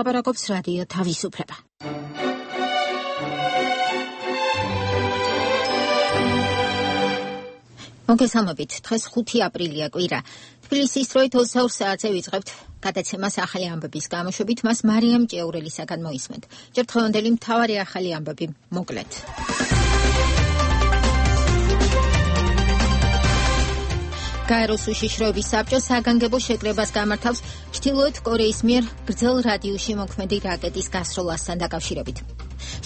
ლაპარაკობს რადიო თავისუფლება. მოგესალმებით, დღეს 5 აპრილია კვირა. თბილისის დროით 22 საათზე ვიწყებთ გადაცემას ახალი ამბების გამოშვებით, მას მარიამ ჭეურელისაგან მოისმენთ. ჯერ დღევანდელი მთავარი ახალი ამბები მოკლედ. გაეროს უშიშროების საბჭო საგანგებო შეკრებას გამართავს ჩრდილოეთ კორეის მიერ გრძელ რადიუსში მოქმედი რაკეტის გასროლასთან დაკავშირებით.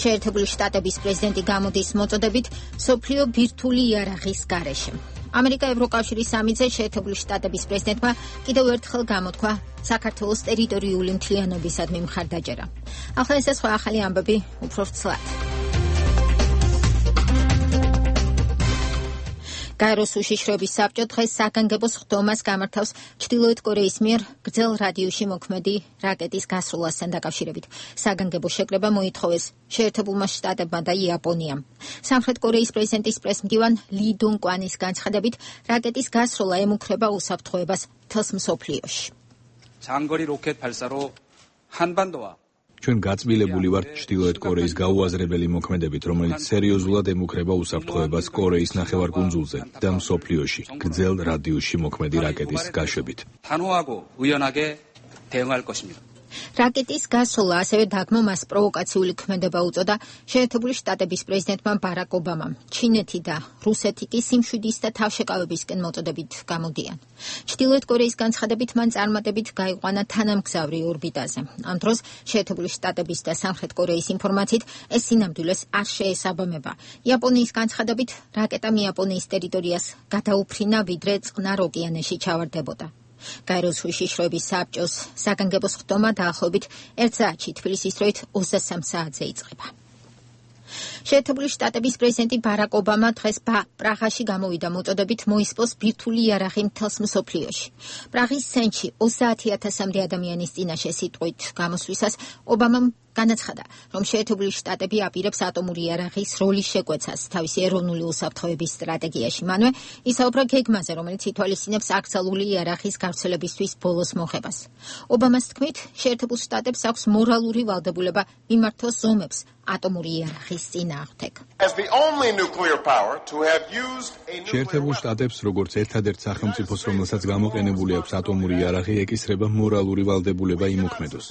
შეერთებული შტატების პრეზიდენტი გამოდის მოწოდებით მსოფლიო ბირთვული იარაღის გარეშე. ამერიკა ევროკავშირის სამიტზე შეერთებული შტატების პრეზიდენტმა კიდევ ერთხელ გამოთქვა საქართველოს ტერიტორიული მთლიანობისადმი მხარდაჭერა. ახლა ეს სხვა ახალი ამბები უფრო ვრცლად. გაეროს უშიშროების საბჭო დღეს საგანგებო სხდომას გამართავს ჩრდილოეთ კორეის მიერ გრძელ რადიუსში მოქმედი რაკეტის გასროლასთან დაკავშირებით. საგანგებო შეკრება მოითხოვეს შეერთებულმა შტატებმა და იაპონიამ. სამხრეთ კორეის პრეზიდენტის პრესმდივან ლი დუნკვანის განცხადებით, რაკეტის გასროლა ემუქრება უსაფრთხოებას მთელს მსოფლიოში. 장거리 로켓 발사로 한반도와 ჩვენ გაწმილებული ვართ ჩრდილოეთ კორეის გაუაზრებელი მოქმედებით, რომელიც სერიოზულად ემუქრება უსაფრთხოებას კორეის ნახევარკუნძულზე და მსოფლიოში გრძელ რადიუსში მოქმედი რაკეტის გაშვებით. 단호하고 의연하게 대응할 것입니다. რაკეტის გასროლა ასევე დაგმომას პროვოკაციული ქმედება უწოდა შეერთებული შტატების პრეზიდენტმა ბარაკ ობამამ. ჩინეთი და რუსეთი კი სიმშვიდის და თავშეკავებისკენ მოწოდებით გამოდიან. ჩრდილოეთ კორეის განცხადებით მან წარმატებით გაიყვანა თანამგზავრი ორბიტაზე. ამ დროს შეერთებული შტატების და სამხრეთ კორეის ინფორმაციით ეს სინამდვილეს არ შეესაბამება. იაპონიის განცხადებით რაკეტამ იაპონიის ტერიტორიას გადაუფრინა, ვიდრე წყნარ ოკეანეში ჩავარდებოდა. გაეროს უშიშროების საბჭოს საგანგებო სხდომა დაახლოებით 1 საათში თბილისის დროით 23 საათზე იწყება. შეერთებული შტატების პრეზიდენტი ბარაკ ობამა დღეს პრაღაში გამოვიდა მოწოდებით მოისპოს ბირთვული იარაღი მთელს მსოფლიოში. პრაღის ცენტრში 30,000-მდე ადამიანის წინაშე სიტყვით გამოსვლისას ობამამ განაცხადა, რომ შეერთებული შტატები აპირებს ატომური იარაღის როლის შეკვეცას თავისი ეროვნული უსაფრთხოების სტრატეგიაში. მანვე ისაუბრა გეგმაზე, რომელიც ითვალისწინებს აკრძალული იარაღის გავრცელებისთვის ბოლოს მოხებას. ობამას თქმით, შეერთებულ შტატებს აქვს მორალური ვალდებულება მიმართოს ზომებს ატომური იარაღის წინააღმდეგ. შეერთებულ შტატებს, როგორც ერთადერთ სახელმწიფოს, რომელსაც გამოყენებული აქვს ატომური იარაღი, ეკისრება მორალური ვალდებულება იმოქმედოს.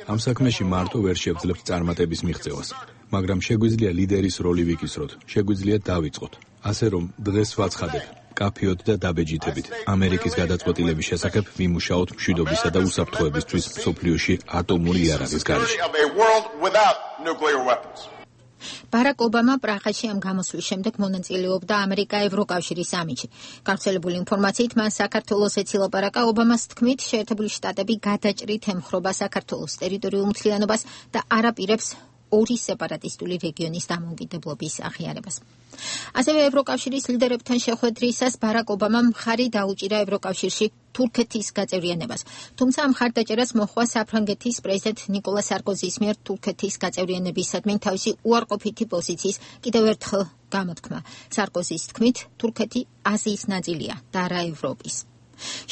ამ საქმეში მარტო ვერ შევძლებთ წარმატების მიღწევას, მაგრამ შეგვიძლია ლიდერის როლი ვიკისროთ, შეგვიძლია დავიწყოთ. ასე რომ, დღეს ვაცხადებ, კაფეოთ და დაბეჯითებით, ამერიკის გადაწყვეტილების შესახებ ვიმუშაოთ მშვიდობისა და უსაფრთხოებისთვის მსოფლიოში ატომური იარაღის გარეშე. ბარაკ ობამა პრაღაში ამ გამოსვლის შემდეგ მონაწილეობდა ამერიკა-ევროკავშირის სამიტში. გავრცელებული ინფორმაციით მან საქართველოს ეცილაპარაკა. ობამას თქმით, შეერთებული შტატები გადაჭრით ემხრობა საქართველოს ტერიტორიულ მთლიანობას და არ აპირებს ორი სეპარატისტული რეგიონის დამოუკიდებლობის აღიარებას. ასევე ევროკავშირის ლიდერებთან შეხვედრისას ბარაკ ობამამ მხარი დაუჭირა ევროკავშირში თურქეთის გაწევრიანებას. თუმცა ამ მხარდაჭერას მოჰყვა საფრანგეთის პრეზიდენტ ნიკოლა სარკოზის მიერ თურქეთის გაწევრიანებისადმი თავისი უარყოფითი პოზიციის კიდევ ერთხელ გამოთქმა. სარკოზის თქმით, თურქეთი აზიის ნაწილია და არა ევროპის.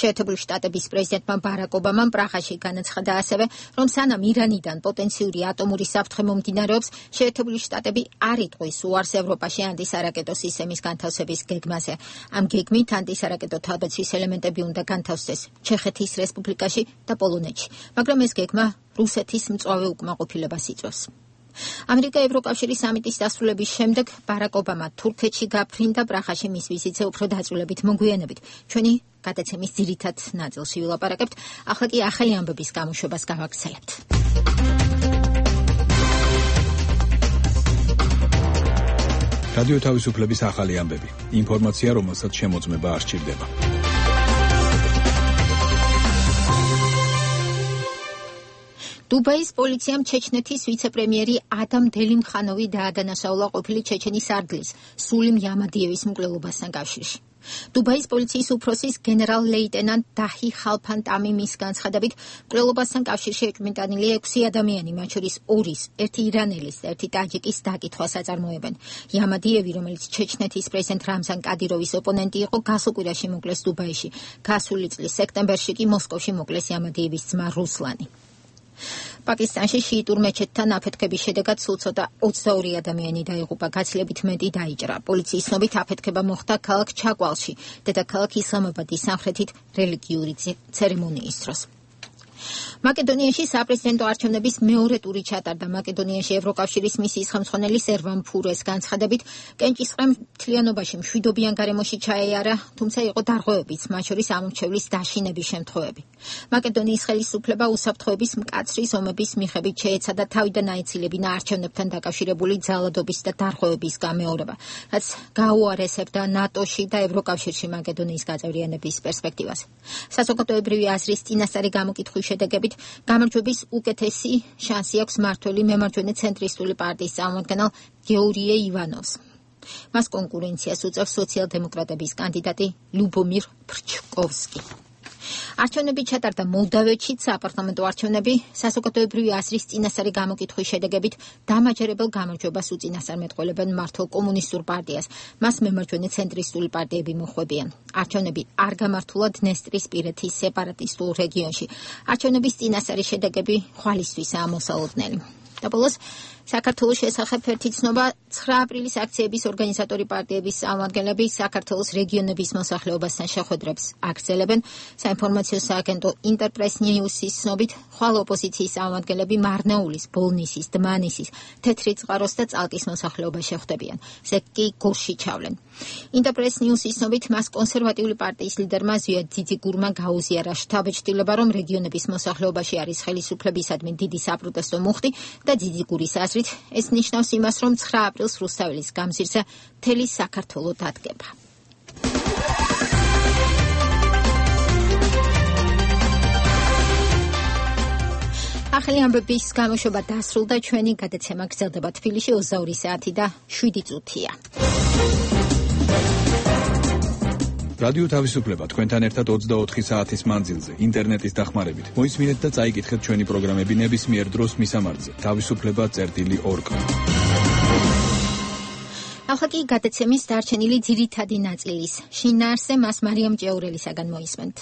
შეერთებული შტატების პრეზიდენტმა ბარაკ ობამამ პრაღაში განაცხადა ასევე, რომ სანამ ირანიდან პოტენციური ატომური საფრთხე მომდინარეობს, შეერთებული შტატები არ იტყვის უარს ევროპაში ანტისარაკეტო სისტემის განთავსების გეგმაზე. ამ გეგმით ანტისარაკეტო თავდაცვის ელემენტები უნდა განთავსდეს ჩეხეთის რესპუბლიკაში და პოლონეთში, მაგრამ ეს გეგმა რუსეთის მწვავე უკმაყოფილებას იწვევს. ამერიკა-ევროკავშირის სამიტის დასრულების შემდეგ ბარაკ ობამა თურქეთში გაფრინდა. პრაღაში მის ვიზიტზე უფრო დაწვრილებით მოგვიანებით ჩვენი გადაცემის ძირითად ნაწილში ვილაპარაკებთ. ახლა კი ახალი ამბების გამოშვებას გავაგრძელებთ. რადიო თავისუფლების ახალი ამბები. ინფორმაცია, რომელსაც შემოწმება არ სჭირდება. დუბაის პოლიციამ ჩეჩნეთის ვიცე-პრემიერი ადამ დელიმხანოვი დაადანაშაულა ყოფილი ჩეჩენის არგლის სულიმ იამადიევის მკვლელობასთან კავშირში. დუბაის პოლიციის უფროსის გენერალ-ლეიტენანტ დაჰი ხალფან ტამიმის განცხადებით, მკვლელობასთან კავშირში ეკმიტანილი 6 ადამიანი, მათ შორის 2-ის, ერთი ირანელის და ერთი ტაჯიკის დაკითხვას აწარმოებენ. იამადიევი, რომელიც ჩეჩნეთის პრეზიდენტ რამზან კადიროვის ოპონენტი იყო, გასულ კვირაში მოკლეს დუბაიში. გასული წლის სექტემბერში კი მოსკოვში მოკლეს იამადიევის ძმა რუსლანი. პაკისტანში შიიტურ მეჩეთთან აფეთქების შედეგად სულ ცოტა 22 ადამიანი დაიღუპა, გაცილებით მეტი დაიჭრა. პოლიციის ცნობით აფეთქება მოხდა ქალაქ ჩაკვალში, დედაქალაქ ისლამაბადის სამხრეთით რელიგიური ცერემონიის დროს. მაკედონიაში საპრეზიდენტო არჩევნების მეორე ტური ჩატარდა. მაკედონიაში ევროკავშირის მისიის ხელმძღვანელი სერვან ფურეს განცხადებით, კენჭისყრამ მთლიანობაში მშვიდობიან გარემოში ჩაეარა, თუმცა იყო დარღვევებიც, მათ შორის ამორჩევლის დაშინების შემთხვევები. მაკედონიის ხელისუფლება უსაფრთხოების მკაცრი ზომების მიხედვით შეეცადა თავიდან აეცილებინა არჩევნებთან დაკავშირებული ძალადობის და დარღვევების გამეორება, რაც გაუარესებდა ნატოში და ევროკავშირში მაკედონიის გაწევრიანების პერსპექტივას. საზოგადოებრივი აზრის წინასწარი გამოკითხვის შედეგებით გამარჯვების უკეთესი შანსი აქვს მმართველი მემარჯვენე ცენტრისტული პარტიის წარმომადგენელ გეორგიე ივანოვს. მას კონკურენციას უწევს სოციალ-დემოკრატების კანდიდატი ლუბომირ ფრჩკოვსკი. არჩევნები ჩატარდა მოლდავეთშიც, საპარლამენტო არჩევნები საზოგადოებრივი აზრის წინასწარი გამოკითხვის შედეგებით დამაჯერებელ გამარჯვებას უწინასწარმეტყველებენ მმართველ კომუნისტურ პარტიას. მას მემარჯვენე ცენტრისტული პარტიები მოხვებიან. არჩევნები არ გამართულა დნესტრისპირეთის სეპარატისტულ რეგიონში. არჩევნების წინასწარი შედეგები ხვალისთვისაა მოსალოდნელი. და ბოლოს საქართველოს შესახებ ერთი ცნობა 9 აპრილის აქციების ორგანიზატორი პარტიების წარმომადგენლები საქართველოს რეგიონების მოსახლეობასთან შეხვედრებს აგრძელებენ. საინფორმაციო სააგენტო ინტერპრეს ნიუსის ცნობით, ხვალ ოპოზიციის წარმომადგენლები მარნაულის, ბოლნისის, დმანისის, თეთრი წყაროს და წალკის მოსახლეობას შეხვდებიან. ზეგ კი გორში ჩავლენ. ინტერპრეს ნიუსის ცნობით, მას კონსერვატიული პარტიის ლიდერმა ზვიად ძიძიგურმა გაუზიარა შთაბეჭდილება, რომ რეგიონების მოსახლეობაში არის ხელისუფლებისადმი დიდი საპროტესტო მუხტი და ძიძიგურის აზრით ეს ნიშნავს იმას, რომ 9 აპრილს რუსთაველის გამზირზე მთელი საქართველო დადგება. ახალი ამბების გამოშვება დასრულდა, ჩვენი გადაცემა გრძელდება თბილისში 22 საათი და 7 წუთია. რადიო თავისუფლება თქვენთან ერთად 24 საათის მანძილზე, ინტერნეტის დახმარებით. მოისმინეთ და წაიკითხეთ ჩვენი პროგრამები ნებისმიერ დროს მისამართზე. თავისუფლება.org. ახლა კი გადაცემის დარჩენილი ძირითადი ნაწილის შინაარსზე მას მარიამ ჭეურელისაგან მოისმენთ.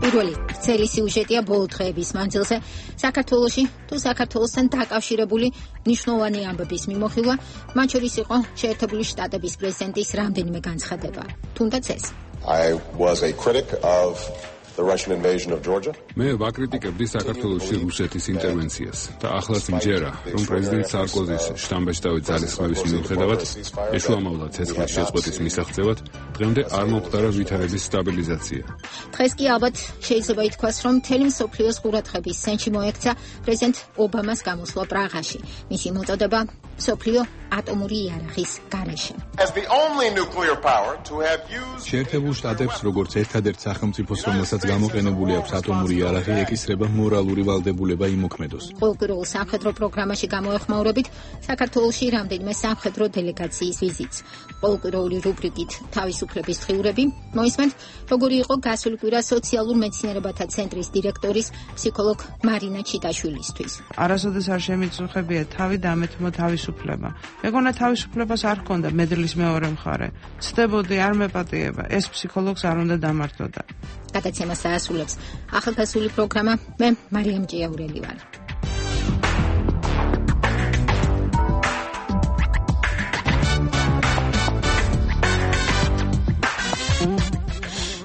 პირველი ცელი სიუჟეტია ბოლო დღეების მანძილზე საქართველოში თუ საქართველოსთან დაკავშირებული მნიშვნელოვანი ამბების მიმოხილვა, მათ შორის იყო შეერთებული შტატების პრეზიდენტის რამდენიმე განცხადება. თუნდაც ეს. I was a critic of the Russian invasion of Georgia. მე ვაკრიტიკებდი საქართველოში რუსეთის ინტერვენციას და ახლაც მჯერა, რომ პრეზიდენტ სარკოზის შტამბეჭდავი ძალისხმევის მიუხედავად ეშუამავლა ცეცხლის შეწყვეტის მისაღწევად, დღემდე არ მომხდარა ვითარების სტაბილიზაცია. დღეს კი ალბათ შეიძლება ითქვას, რომ მთელი მსოფლიოს ყურადღების ცენტრში მოექცა პრეზიდენტ ობამას გამოსვლა პრაღაში. მისი მოწოდება მსოფლიო ატომური იარაღის გარეშე. შეერთებულ შტატებს როგორც ერთადერთ სახელმწიფოს, რომელსაც გამოყენებული აქვს ატომური იარაღი, ეკისრება მორალური ვალდებულება იმოქმედოს. ყოველკვირეულ სამხედრო პროგრამაში გამოეხმაურებით საქართველოში რამდენიმე სამხედრო დელეგაციის ვიზიტს. ყოველკვირეული რუბრიკით თავისუფლების დღიურები მოისმენთ, როგორი იყო გასული კვირა სოციალურ მეცნიერებათა ცენტრის დირექტორის ფსიქოლოგ მარინა ჩიტაშვილისთვის. არასოდეს არ შემიწუხებია თავი დამეთმო თავისუფლება. მეგონა თავისუფლებას არ ჰქონდა მედლის მეორე მხარე. ცდებოდი არ მეპატიება, ეს ფსიქოლოგს არ უნდა დამართოდა. გადაცემას დაასრულებს ახალგაზრდული პროგრამა. მე მარიამ ჭიაურელი ვარ.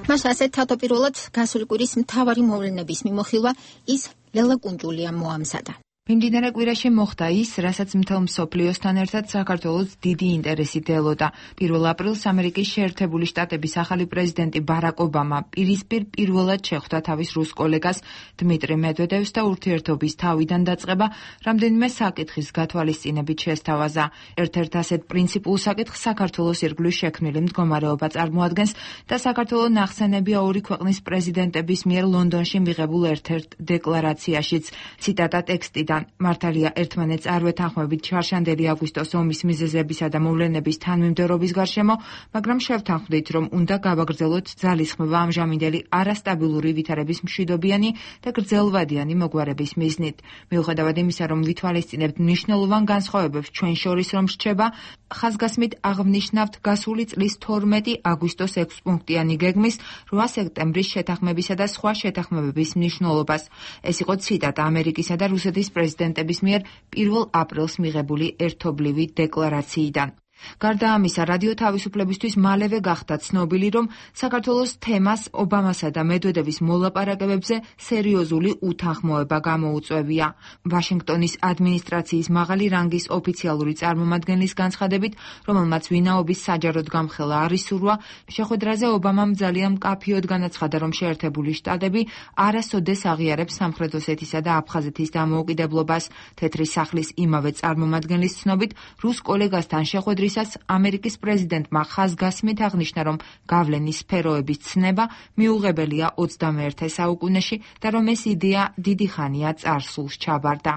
მას ასეთ თავდაპირველად გასული კვირის მთავარი მოვლენების მიმოხილვა ის ლელა კუნჯულიამ მოამზადა. მიმდინარე კვირაში მოხდა ის, რასაც მთელ მსოფლიოსთან ერთად საქართველოს დიდი ინტერესი დელოდა. 1 აპრილს ამერიკის შეერთებული შტატების ახალი პრეზიდენტი ბარაკ ობამა პირისპირ პირველად შეხვდა თავის რუს კოლეგას დმიტრი მედვედევს და ურთიერთობის თავიდან დაწყება რამდენიმე საკითხის გათვალისწინებით შესთავაზა. ერთ-ერთ ასეთ პრინციპულ საკითხს საქართველოს ირგვლივ შექმნილი მდგომარეობა წარმოადგენს და საქართველოს ნახსენებია ორი ქვეყნის პრეზიდენტების მიერ ლონდონში მიღებულ ერთ-ერთ დეკლარაციაშიც. ციტატა ტექსტიდან. ირან. მართალია ერთმანეთს არ ვეთანხმებით ჩარშანდელი აგვისტოს ომის მიზეზებისა და მოვლენების თანმიმდევრობის გარშემო, მაგრამ შევთანხმდით, რომ უნდა გავაგრძელოთ ძალისხმევა ამჟამინდელი არასტაბილური ვითარების მშვიდობიანი და გრძელვადიანი მოგვარების მიზნით. მიუხედავად იმისა, რომ ვითვალისწინებთ მნიშვნელოვან განსხვავებებს ჩვენ შორის რომ რჩება, ხაზგასმით აღვნიშნავთ გასული წლის 12 აგვისტოს 6 პუნქტიანი გეგმის 8 სექტემბრის შეთანხმებისა და სხვა შეთანხმებების მნიშვნელობას. ეს იყო ციტატა ამერიკისა და რუსეთის პრეზიდენტების მიერ 1 აპრილს მიღებული ერთობლივი დეკლარაციიდან. გარდა ამისა, რადიო თავისუფლებისთვის მალევე გახდა ცნობილი, რომ საქართველოს თემას ობამასა და მედვედევის მოლაპარაკებებზე სერიოზული უთანხმოება გამოუწვევია. ვაშინგტონის ადმინისტრაციის მაღალი რანგის ოფიციალური წარმომადგენლის განცხადებით, რომელმაც ვინაობის საჯაროდ გამხელა არ ისურვა, შეხვედრაზე ობამამ ძალიან მკაფიოდ განაცხადა, რომ შეერთებული შტატები არასოდეს აღიარებს სამხრეთ ოსეთისა და აფხაზეთის დამოუკიდებლობას. თეთრი სახლის იმავე წარმომადგენლის ცნობით, რუს კოლეგასთან შეხვედრის ამერიკის პრეზიდენტმა ხაზგასმით აღნიშნა, რომ გავლენის სფეროების ცნება მიუღებელია 21 საუკუნეში და რომ ეს იდეა დიდი ხანია წარსულს ჩაბარდა.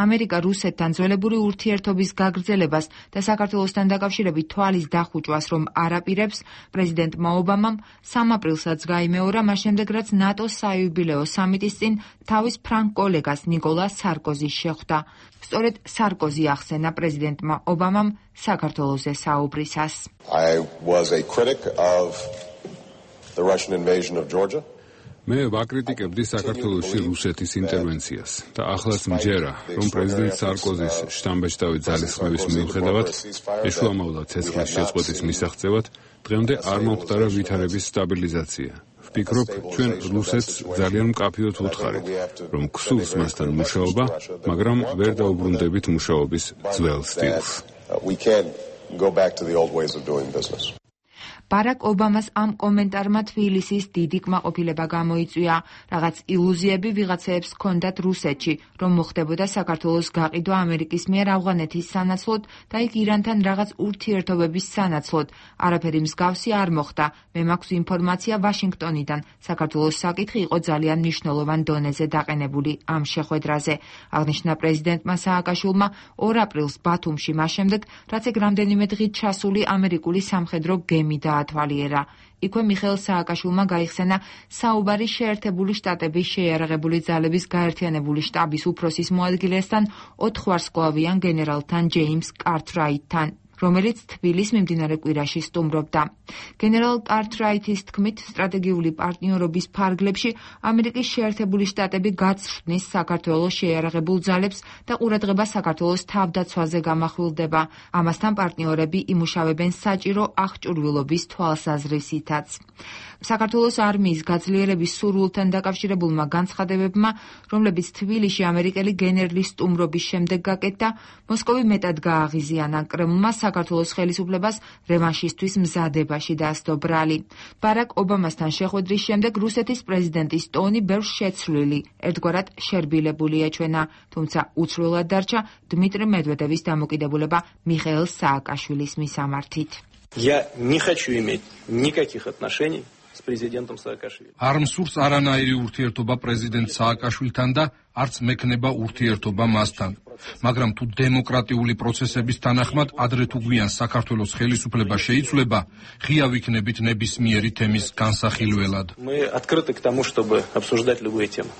ამერიკა რუსეთთან ძველებური ურთიერთობის გაგრძელებას და საქართველოსთან დაკავშირებით თვალის დახუჭვას რომ არ აპირებს, პრეზიდენტმა ობამამ 3 აპრილსაც გაიმეორა, მას შემდეგ რაც ნატოს საიუბილეო სამიტის წინ თავის ფრანგ კოლეგას ნიკოლა სარკოზის შეხვდა. სწორედ სარკოზი ახსენა პრეზიდენტმა ობამამ საქართველოზე საუბრისას. I was a critic of the Russian invasion of Georgia. მე ვაკრიტიკებდი საქართველოში რუსეთის ინტერვენციას და ახლაც მჯერა, რომ პრეზიდენტ სარკოზის შთამბეჭდავი ძალისხმევის მიუხედავად, ეშუამოვლა ცეცხლის შეწყვეტის მისაღწევად, დღემდე არ მომხდარა ვითარების სტაბილიზაცია. ვფიქრობ, ჩვენ რუსეთს ძალიან მკაფიოდ ვუთხარით, რომ გსურს მასთან მუშაობა, მაგრამ ვერ დაუბრუნდებით მუშაობის ძველ სტილს. We can't go back to the old ways of doing business. ბარაკ ობამას ამ კომენტარმა თბილისის დიდი კმაყოფილება გამოიწვია. რაღაც ილუზიები ვიღაცეებს ჰქონდათ რუსეთში, რომ მოხდებოდა საქართველოს გაყიდვა ამერიკის მიერ ავღანეთის სანაცვლოდ და იქ ირანთან რაღაც ურთიერთობების სანაცვლოდ. არაფერი მსგავსი არ მოხდა. მე მაქვს ინფორმაცია ვაშინგტონიდან. საქართველოს საკითხი იყო ძალიან მნიშვნელოვან დონეზე დაყენებული ამ შეხვედრაზე. აღნიშნა პრეზიდენტმა სააკაშვილმა 2 აპრილს ბათუმში, მას შემდეგ, რაც ეგ რამდენიმე დღით ჩასული ამერიკული სამხედრო გემი დაათვალიერა. იქვე მიხეილ სააკაშვილმა გაიხსენა საუბარი შეერთებული შტატების შეიარაღებული ძალების გაერთიანებული შტაბის უფროსის მოადგილესთან 4 ვარსკვლავიან გენერალთან ჯეიმს კარტრაიტთან, რომელიც თბილის მიმდინარე კვირაში სტუმრობდა. გენერალ კარტრაიტის თქმით, სტრატეგიული პარტნიორობის ფარგლებში ამერიკის შეერთებული შტატები გაცხრნის საქართველოს შეიარაღებულ ძალებს და ყურადღება საქართველოს თავდაცვაზე გამახვილდება. ამასთან პარტნიორები იმუშავებენ საჭირო აღჭურვილობის თვალსაზრისითაც. საქართველოს არმიის გაძლიერების სურვილთან დაკავშირებულმა განცხადებებმა, რომლებიც თბილისში ამერიკელი გენერლის სტუმრობის შემდეგ გაკეთდა, მოსკოვი მეტად გააღიზიანა. კრემლმა საქართველოს ხელისუფლებას რევანშისთვის მზადებაში დასდო ბრალი. ბარაკ ობამასთან შეხვედრის შემდეგ რუსეთის პრეზიდენტის ტონი ბევრს შეცვლილი, ერთგვარად შერბილებული ეჩვენა, თუმცა უცვლელად დარჩა დმიტრი მედვედევის დამოკიდებულება მიხეილ სააკაშვილის მისამართით. Я не хочу иметь никаких отношений с президентом Саакашвили. არ მსურს არანაირი ურთიერთობა პრეზიდენტ სააკაშვილთან და არც მექნება ურთიერთობა მასთან. მაგრამ თუ დემოკრატიული პროცესების თანახმად ადრე თუ გვიან საქართველოს ხელისუფლება შეიცვლება, ღია ვიქნებით ნებისმიერი თემის განსახილველად. Мы открыты к тому, чтобы обсуждать любые темы.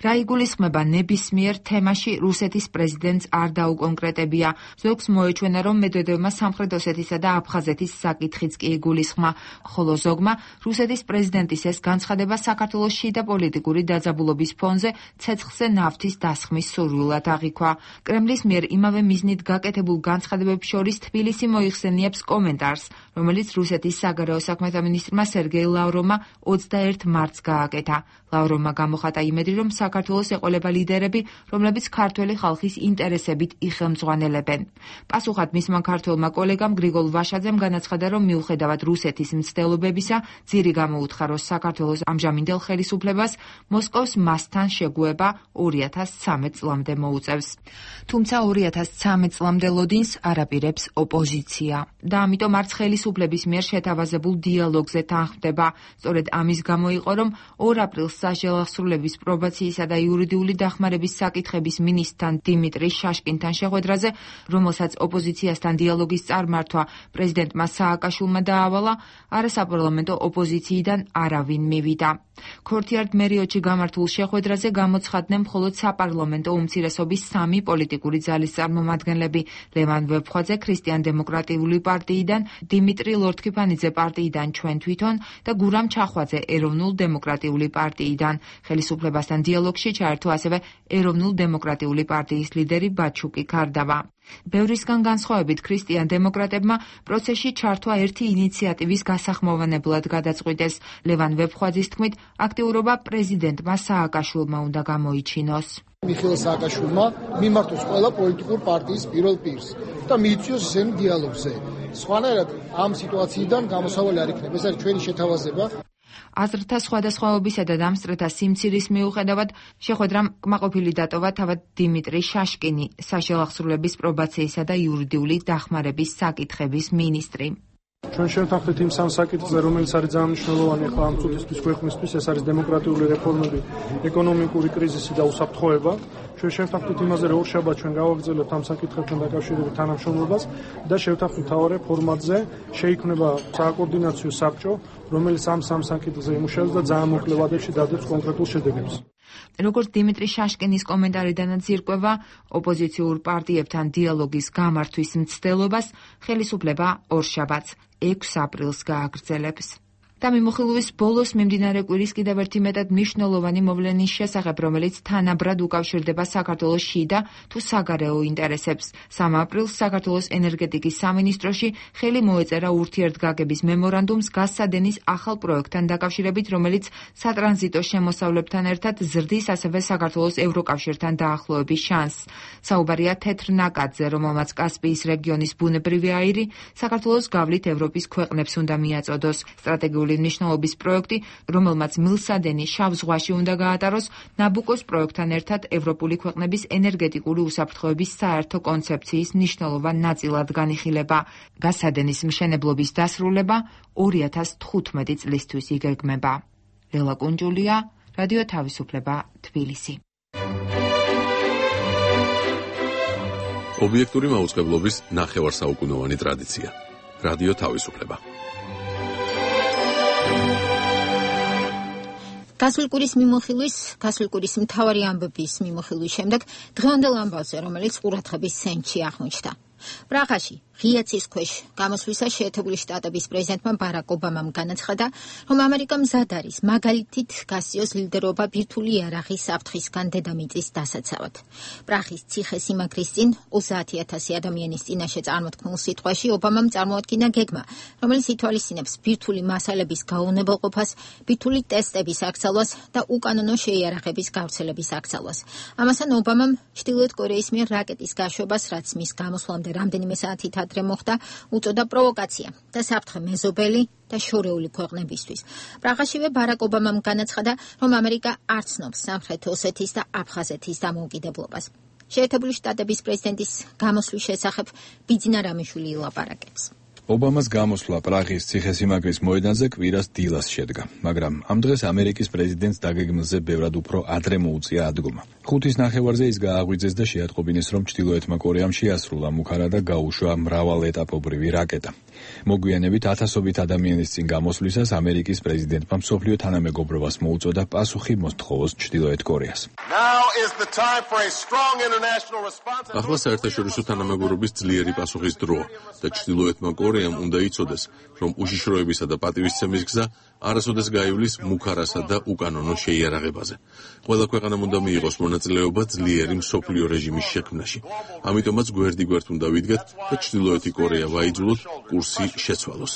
რა იგულისხმება ნებისმიერ თემაში რუსეთის პრეზიდენტს არ დაუკონკრეტებია. ზოგს მოეჩვენა, რომ მედვედევმა სამხრეთ ოსეთისა და აფხაზეთის საკითხიც კი იგულისხმა, ხოლო ზოგმა რუსეთის პრეზიდენტის ეს განცხადება საქართველოს შიდა პოლიტიკური დაძაბულობის ფონზე ცეცხლზე ნავთის დასხმის სურვილად აღიქვა. კრემლის მიერ იმავე მიზნით გაკეთებულ განცხადებებს შორის თბილისი მოიხსენიებს კომენტარს, რომელიც რუსეთის საგარეო საქმეთა მინისტრმა სერგეი ლავროვმა 21 მარტს გააკეთა. ლავროვმა გამოხატა იმედი, რომ საქართველოს ეყოლება ლიდერები, რომლებიც ქართველი ხალხის ინტერესებით იხელმძღვანელებენ. პასუხად მისმა ქართველმა კოლეგამ გრიგოლ ვაშაძემ განაცხადა, რომ მიუხედავად რუსეთის მცდელობებისა, ძირი გამოუთხაროს საქართველოს ამჟამინდელ ხელისუფლებას, მოსკოვს მასთან შეგუება 2013 წლამდე მოუწევს. თუმცა 2013 წლამდე ლოდინს არაპირებს ოპოზიცია და ამიტომ არც ხელისუფლების მიერ შეთავაზებულ დიალოგზე თანხმდება. სწორედ ამის გამო იყო, რომ 2 აპრილს საშელახსრულების პრობაციისა და იურიდიული დახმარების საკითხების მინისტრთან დიმიტრი შაშკინთან შეხვედრაზე, რომელსაც ოპოზიციასთან დიალოგის წარმართვა პრეზიდენტმა სააკაშვილმა დაავალა, არასაპარლამენტო ოპოზიციიდან არავინ მივიდა. ქორთიარდ მერიოდში გამართულ შეხვედრაზე გამოცხადდნენ მხოლოდ საპარლამენტო უმცირესობის 3 პოლიტიკური ძალის წარმომადგენლები: ლევან ვეფხვაძე ქრისტიან-დემოკრატიული პარტიიდან, დიმიტრი ლორთქიფანიძე პარტიიდან ჩვენ თვითონ და გურამ ჩახვაძე ეროვნულ-დემოკრატიული პარტიიდან. ხელისუფლებასთან დიალოგში ჩაერთო ასევე ეროვნულ-დემოკრატიული პარტიის ლიდერი ბაჩუკი ქარდავა. ბევრისგან განსხვავებით ქრისტიან-დემოკრატებმა პროცესში ჩართვა ერთი ინიციატივის გასახმოვანებლად გადაწყვიტეს. ლევან ვეფხვაძის თქმით, აქტიურობა პრეზიდენტმა სააკაშვილმა უნდა გამოიჩინოს. მიხეილ სააკაშვილმა მიმართოს ყველა პოლიტიკურ პარტიის პირველ პირს და მიიწვიოს ისინი დიალოგზე. სხვანაირად ამ სიტუაციიდან გამოსავალი არ იქნება. ეს არის ჩვენი შეთავაზება. აზრთა სხვადასხვაობისა და დამსწრეთა სიმცირის მიუხედავად შეხვედრამ კმაყოფილი დატოვა თავად დიმიტრი შაშკინი, საშელახსრულების პრობაციისა და იურიდიული დახმარების საკითხების მინისტრი. ჩვენ შევთანხმდით იმ სამ საკითხზე, რომელიც არის ძალიან მნიშვნელოვანი ახლა ამ წუთისთვის ქვეყნისთვის, ეს არის დემოკრატიული რეფორმები, ეკონომიკური კრიზისი და უსაფრთხოება. ჩვენ შევთანხმდით იმაზე, რომ ორშაბათს ჩვენ გავაგრძელებთ ამ საკითხებთან დაკავშირებით თანამშრომლობას და შევთანხმდით მთავარ ფორმატზე შეიქმნება საკოორდინაციო საბჭო, რომელიც ამ სამ საკითხზე იმუშავებს და ძალიან მოკლე ვადებში დადებს კონკრეტულ შედეგებს. როგორც დიმიტრი შაშკინის კომენტარიდანაც ირკვევა, ოპოზიციურ პარტიებთან დიალოგის გამართვის მცდელობას ხელისუფლება ორშაბათს 6 აპრილს გააგრძელებს. და მიმოხილვის ბოლოს მიმდინარე კვირის კიდევ ერთი მეტად მნიშვნელოვანი მოვლენის შესახებ, რომელიც თანაბრად უკავშირდება საქართველოს შიდა თუ საგარეო ინტერესებს. 3 აპრილს საქართველოს ენერგეტიკის სამინისტროში ხელი მოეწერა ურთიერთგაგების მემორანდუმს გაზსადენის ახალ პროექტთან დაკავშირებით, რომელიც სატრანზიტო შემოსავლებთან ერთად ზრდის ასევე საქართველოს ევროკავშირთან დაახლოების შანსს. საუბარია თეთრ ნაკადზე, რომელმაც კასპიის რეგიონის ბუნებრივი აირი საქართველოს გავლით ევროპის ქვეყნებს უნდა მიაწოდოს. სტრატეგიული მნიშვნელობის პროექტი, რომელმაც მილსადენი შავ ზღვაში უნდა გაატაროს, ნაბუკოს პროექტთან ერთად ევროპული ქვეყნების ენერგეტიკული უსაფრთხოების საერთო კონცეფციის მნიშვნელოვან ნაწილად განიხილება. გაზსადენის მშენებლობის დასრულება 2015 წლისთვის იგეგმება. ლელა კუნჯულია, რადიო თავისუფლება, თბილისი. ობიექტური მაუწყებლობის ნახევარსაუკუნოვანი ტრადიცია. რადიო თავისუფლება. გასული კვირის მთავარი ამბების მიმოხილვის შემდეგ დღევანდელ ამბავზე, რომელიც ყურადღების ცენტრში აღმოჩნდა. პრაღაში ღია ცის ქვეშ გამოსვლისას შეერთებული შტატების პრეზიდენტმა ბარაკ ობამამ განაცხადა, რომ ამერიკა მზად არის მაგალითით გასიოს ლიდერობა ბირთვული იარაღის საფრთხისგან დედამიწის დასაცავად. პრაღის ციხესიმაგრის წინ 30,000 ადამიანის წინაშე წარმოთქმულ სიტყვაში ობამამ წარმოადგინა გეგმა, რომელიც ითვალისწინებს ბირთვული მასალების გაუვნებელყოფას, ბირთვული ტესტების აკრძალვას და უკანონო შეიარაღების გავრცელების აკრძალვას. ამასთან ობამამ ჩრდილოეთ კორეის მიერ რაკეტის გაშვებას, რაც მის გამოსვლამდე რამდენიმე საათით ადრე მოხდა, უწოდა პროვოკაცია და საფრთხე მეზობელი და შორეული ქვეყნებისთვის. პრაღაშივე ბარაკ ობამამ განაცხადა, რომ ამერიკა არ ცნობს სამხრეთ ოსეთის და აფხაზეთის დამოუკიდებლობას. შეერთებული შტატების პრეზიდენტის გამოსვლის შესახებ ბიძინა რამიშვილი ილაპარაკებს. ობამას გამოსვლა პრაღის ციხესიმაგრის მოედანზე კვირას დილას შედგა, მაგრამ ამ დღეს ამერიკის პრეზიდენტს დაგეგმილზე ბევრად უფრო ადრე მოუწია ადგომა. 5-ის ნახევარზე ის გააღვიძეს და შეატყობინეს, რომ ჩრდილოეთმა კორეამ შეასრულა მუქარა და გაუშვა მრავალეტაპობრივი რაკეტა. მოგვიანებით ათასობით ადამიანის წინ გამოსვლისას ამერიკის პრეზიდენტმა მსოფლიო თანამეგობრობას მოუწოდა პასუხი მოსთხოვოს ჩრდილოეთ კორეას. ახლა საერთაშორისო თანამეგობრობის ძლიერი პასუხის დროა და ჩრდილოეთმა კორეამ უნდა იცოდეს, რომ უშიშროებისა და პატივისცემის გზა არასოდეს გაივლის მუქარასა და უკანონო შეიარაღებაზე. ყველა ქვეყანამ უნდა მიიღოს მონაწილეობა ძლიერი მსოფლიო რეჟიმის შექმნაში. ამიტომაც გვერდიგვერდ უნდა ვიდგათ და ჩრდილოეთი კორეა ვაიძულოთ კურსი შეცვალოს.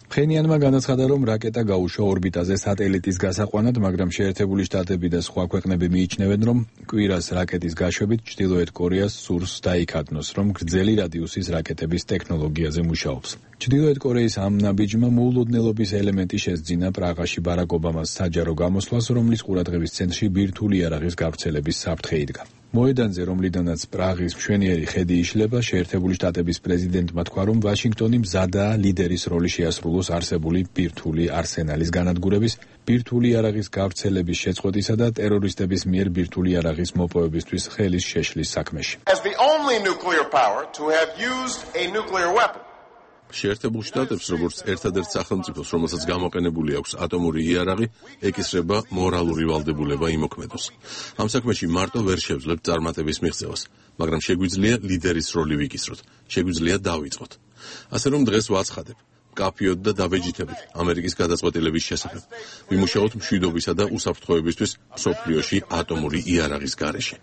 ფხენიანმა განაცხადა, რომ რაკეტა გაუშვა ორბიტაზე სატელიტის გასაყვანად, მაგრამ შეერთებული შტატები და სხვა ქვეყნები მიიჩნევენ, რომ კვირას რაკეტის გაშვებით ჩრდილოეთ კორეას სურს დაიქადნოს, რომ გრძელი რადიუსის რაკეტების ტექნოლოგიაზე მუშაობს. ჩრდილოეთ კორეის ამ ნაბიჯმა მოულოდნელობის ელემენტი შესძინა პრაღაში ბარაკ ობამას საჯარო გამოსვლას, რომლის ყურადღების ცენტრში ბირთვული იარაღის გავრცელების საფრთხე იდგა. მოედანზე, რომლიდანაც პრაღის მშვენიერი ხედი იშლება, შეერთებული შტატების პრეზიდენტმა თქვა, რომ ვაშინგტონი მზადაა ლიდერის როლი შეასრულოს არსებული ბირთვული არსენალის განადგურების, ბირთვული იარაღის გავრცელების შეწყვეტისა და ტერორისტების მიერ ბირთვული იარაღის მოპოვებისთვის ხელის შეშლის საქმეში. შეერთებულ შტატებს, როგორც ერთადერთ სახელმწიფოს, რომელსაც გამოყენებული აქვს ატომური იარაღი, ეკისრება მორალური ვალდებულება იმოქმედოს. ამ საქმეში მარტო ვერ შევძლებთ წარმატების მიღწევას, მაგრამ შეგვიძლია ლიდერის როლი ვიკისროთ, შეგვიძლია დავიწყოთ. ასე რომ დღეს ვაცხადებ, მკაფიოდ და დაბეჯითებით ამერიკის გადაწყვეტილების შესახებ. ვიმუშაოთ მშვიდობისა და უსაფრთხოებისთვის მსოფლიოში ატომური იარაღის გარეშე.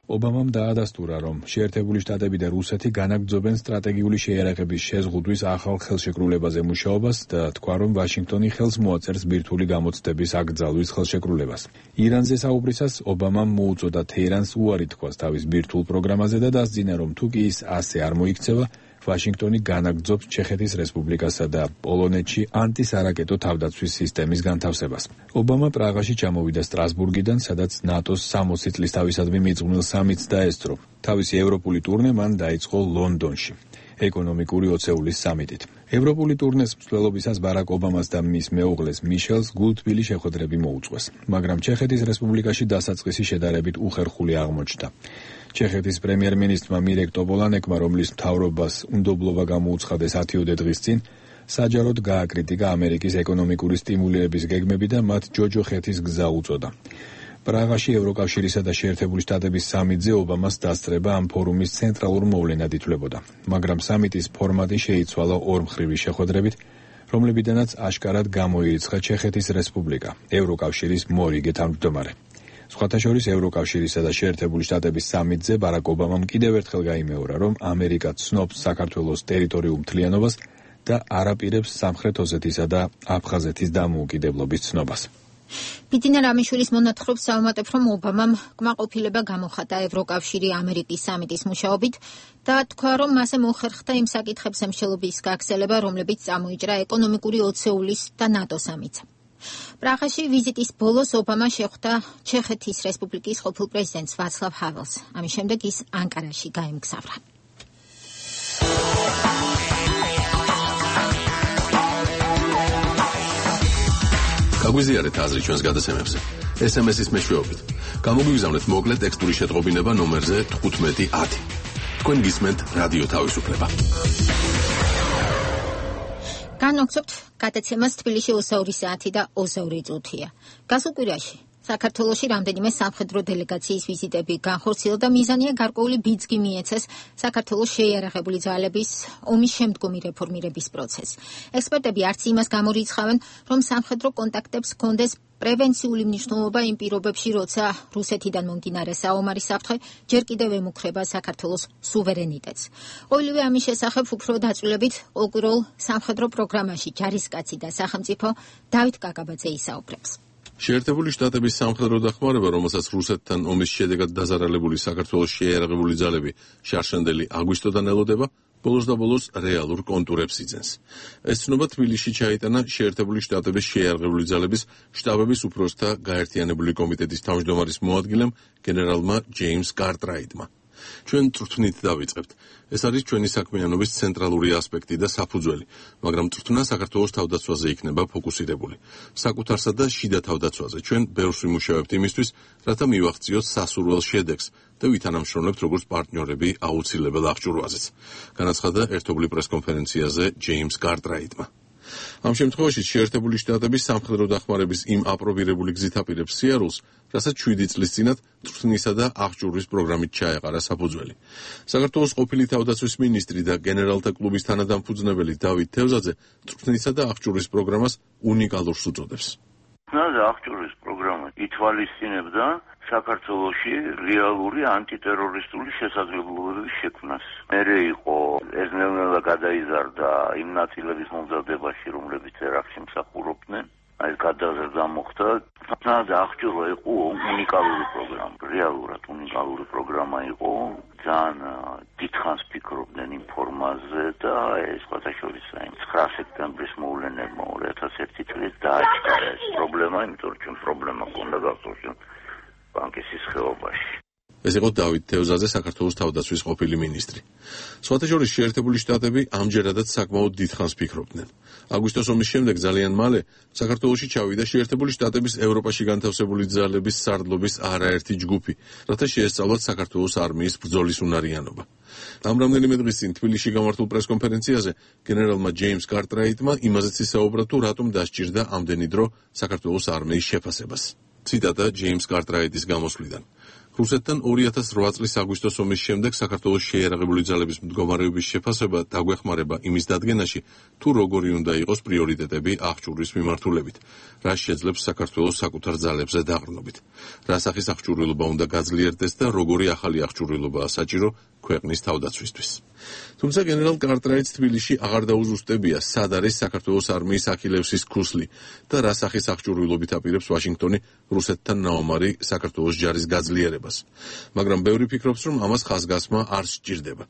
ობამამ დაადასტურა, რომ შეერთებული შტატები და რუსეთი განაგრძობენ სტრატეგიული შეიარაღების შეზღუდვის ახალ ხელშეკრულებაზე მუშაობას და თქვა, რომ ვაშინგტონი ხელს მოაწერს ბირთვული გამოცდების აკრძალვის ხელშეკრულებას. ირანზე საუბრისას ობამამ მოუწოდა თეირანს უარი თქვას თავის ბირთვულ პროგრამაზე და დასძინა, რომ თუ კი ის ასე არ მოიქცევა, ვაშინგტონი განაგრძობს ჩეხეთის რესპუბლიკასა და პოლონეთში ანტისარაკეტო თავდაცვის სისტემის განთავსებას. ობამა პრაღაში ჩამოვიდა სტრასბურგიდან, სადაც ნატოს 60 წლის თავისადმი მიძღვნილ სამიტს დაესწრო. თავისი ევროპული ტურნე მან დაიწყო ლონდონში, ეკონომიკური ოცეულის სამიტით. ევროპული ტურნეს მსვლელობისას ბარაკ ობამას და მის მეუღლეს მიშელს გულთბილი შეხვედრები მოუწყვეს, მაგრამ ჩეხეთის რესპუბლიკაში დასაწყისი შედარებით უხერხული აღმოჩნდა. ჩეხეთის პრემიერ-მინისტრმა მირეკ ტოპოლანეკმა, რომლის მთავრობას უნდობლობა გამოუცხადეს 10 დღის წინ, საჯაროდ გააკრიტიკა ამერიკის ეკონომიკური სტიმულირების გეგმები და მათ ჯოჯოხეთის გზა უწოდა. პრაღაში ევროკავშირისა და შეერთებული შტატების სამიტზე ობამას დასწრება ამ ფორუმის ცენტრალურ მოვლენად ითვლებოდა, მაგრამ სამიტის ფორმატი შეიცვალა ორმხრივი შეხვედრებით, რომლებიდანაც აშკარად გამოირიცხა ჩეხეთის რესპუბლიკა, ევროკავშირის მორიგე თავმჯდომარე. სხვათა შორის ევროკავშირისა და შეერთებული შტატების სამიტზე ბარაკ ობამამ კიდევ ერთხელ გაიმეორა, რომ ამერიკა ცნობს საქართველოს ტერიტორიულ მთლიანობას და არაპირებს სამხრეთ ოსეთისა და აფხაზეთის დამოუკიდებლობის ცნობას. ბიძინა რამიშვილის მონათხრობს საუმატებ, რომ ობამამ კმაყოფილება გამოხატა ევროკავშირი ამერიკის სამიტის მუშაობით და თქვა, რომ მასზე მოხერხდა იმ საკითხებზე მსჯელობის გაგრძელება, რომლებიც წამოიჭრა ეკონომიკური ოცეულის და ნატო სამიტს. პრაღაში ვიზიტის ბოლოს ობამა შეხვდა ჩეხეთის რესპუბლიკის ყოფილ პრეზიდენტს ვაცლავ ჰაველს. ამის შემდეგ ის ანკარაში გაემგზავრა. გაგვიზიარეთ აზრი ჩვენს გადაცემებზე. SMS-ის მეშვეობით. გამოგვიგზავნეთ მოკლე ტექსტური შეტყობინება ნომერზე 1510. თქვენ გისმენთ რადიო თავისუფლება. განვაგრძობთ გადაცემას თბილისში 22 საათი და 22 წუთია. გასულ კვირაში საქართველოში რამდენიმე სამხედრო დელეგაციის ვიზიტები განხორციელდა და მიზანია გარკვეული ბიძგი მიეცეს საქართველოს შეიარაღებული ძალების ომის შემდგომი რეფორმირების პროცესს. ექსპერტები არც იმას გამორიცხავენ, რომ სამხედრო კონტაქტებს ჰქონდეს პრევენციული მნიშვნელობა იმ პირობებში, როცა რუსეთიდან მომდინარე საომარი საფრთხე ჯერ კიდევ ემუქრება საქართველოს სუვერენიტეტს. ყოველივე ამის შესახებ უფრო დაწვრილებით ყოველკვირეულ სამხედრო პროგრამაში ჯარისკაცი და სახელმწიფო დავით კაკაბაძე ისაუბრებს. შეერთებული შტატების სამხედრო დახმარება, რომელსაც რუსეთთან ომის შედეგად დაზარალებული საქართველოს შეიარაღებული ძალები შარშანდელი აგვისტოდან ელოდება, ბოლოს და ბოლოს რეალურ კონტურებს იძენს. ეს ცნობა თბილისში ჩაიტანა შეერთებული შტატების შეიარაღებული ძალების შტაბების უფროსთა გაერთიანებული კომიტეტის თავმჯდომარის მოადგილემ გენერალმა ჯეიმს კარტრაიტმა. ჩვენ წვრთნით დავიწყებთ. ეს არის ჩვენი საქმიანობის ცენტრალური ასპექტი და საფუძველი, მაგრამ წვრთნა საქართველოს თავდაცვაზე იქნება ფოკუსირებული. საკუთარსა და შიდა თავდაცვაზე ჩვენ ბევრს ვიმუშავებთ იმისთვის, რათა მივაღწიოთ სასურველ შედეგს და ვითანამშრომლებთ როგორც პარტნიორები აუცილებელ აღჭურვაზეც. განაცხადა ერთობლივ პრესკონფერენციაზე ჯეიმს კარტრაიტმა. ამ შემთხვევაში შეერთებული შტატების სამხედრო დახმარების იმ აპრობირებული გზით აპირებს სიარულს, რასაც 7 წლის წინათ წვრთნისა და აღჭურვის პროგრამით ჩაეყარა საფუძველი. საქართველოს ყოფილი თავდაცვის მინისტრი და გენერალთა კლუბის თანადამფუძნებელი დავით თევზაძე წვრთნისა და აღჭურვის პროგრამას უნიკალურს უწოდებს. აღჭურვის პროგრამა ითვალისწინებდა საქართველოში რეალური ანტიტერორისტული შესაძლებლობების შექმნას. მერე იყო ეს ნელ-ნელა გადაიზარდა იმ ნაწილების მომზადებაში, რომლებიც ერაყში მსახურობდნენ. აი გადაზრდა მოხდა. თუნდაც აღჭურვა იყო უნიკალური პროგრამა, რეალურად უნიკალური პროგრამა იყო. ძალიან დიდხანს ფიქრობდნენ იმ ფორმაზე და ეს ყოველშორის 9 სექტემბრის მოვლენებმა 2001 წელს დააჩქარა ეს პრობლემა, იმიტომ რომ პრობლემა ჰქონდა გახსოვს ბანკის სხეობაში. ეს იყო დავით თევზაძე, საქართველოს თავდაცვის ყოფილი მინისტრი. სხვათა შორის შეერთებული შტატები ამჯერადაც საკმაოდ დიდხანს ფიქრობდნენ. აგვისტოს ომის შემდეგ ძალიან მალე საქართველოში წავიდა შეერთებული შტატების ევროპაში განთავსებული ძალების სარდლობის არაერთი ჯგუფი, რათა შეესწავლათ საქართველოს არმიის ბრძოლის უნარიანობა. ამ რამდენიმე დღის წინ თბილისში გამართულ პრესკონფერენციაზე გენერალმა ჯეიმს კარტრაიტმა იმაზეც ისაუბრა, თუ რატომ დასჭირდა ამდენი დრო საქართველოს არმიის შეფასებას. ციტატა ჯეიმს კარტრაიტის გამოსვლიდან. რუსეთთან 2008 წლის აგვისტოს ომის შემდეგ საქართველოს შეიარაღებული ძალების მდგომარეობის შეფასება დაგვეხმარება იმის დადგენაში, თუ როგორი უნდა იყოს პრიორიტეტები აღჭურვის მიმართულებით, რაც შეძლებს საქართველოს საკუთარ ძალებზე დაყრდნობით, რა სახის აღჭურვილობა უნდა გაძლიერდეს და როგორი ახალი აღჭურვილობაა საჭირო ქვეყნის თავდაცვისთვის. თუმცა გენერალ კარტრაიტს თბილისში აღარ დაუზუსტებია, სად არის საქართველოს არმიის ახილევსის ქუსლი და რა სახის აღჭურვილობით აპირებს ვაშინგტონი რუსეთთან ნაომარი საქართველოს ჯარის გაძლიერებას. მაგრამ ბევრი ფიქრობს, რომ ამას ხაზგასმა არ სჭირდება.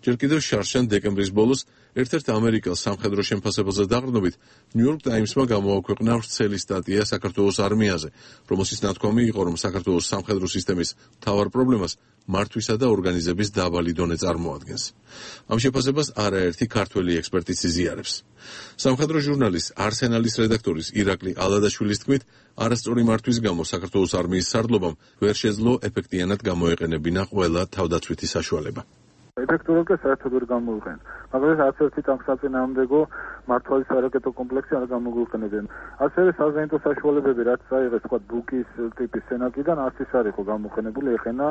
ჯერ კიდევ შარშან დეკემბრის ბოლოს ერთ-ერთ ამერიკელ სამხედრო შემფასებელზე დაყრდნობით New York Times-მა გამოაქვეყნა ვრცელი სტატია საქართველოს არმიაზე, რომელშიც ნათქვამი იყო, რომ საქართველოს სამხედრო სისტემის მთავარ პრობლემას მართვისა და ორგანიზების დაბალი დონე წარმოადგენს. ამ შეფასებას არაერთი ქართველი ექსპერტი იზიარებს. სამხედრო ჟურნალის არსენალის რედაქტორის ირაკლი ალადაშვილის თქმით, არასწორი მართვის გამო საქართველოს არმიის სარდლობამ ვერ შეძლო ეფექტიანად გამოეყენებინა ყველა თავდაცვითი საშუალება. ეფექტურად და საერთოდ ვერ გამოიყენებენ. მაგრამ არც ერთი ტანკსაწინააღმდეგო მართვალის არაკეტო კომპლექსი არ გამოგვიყენებენ. ასევე საზეიმო საშუალებები, რაც აიღეს თქვა ბუკის ტიპის სენაკიდან, არც ის არ იყო გამოყენებული ეხენა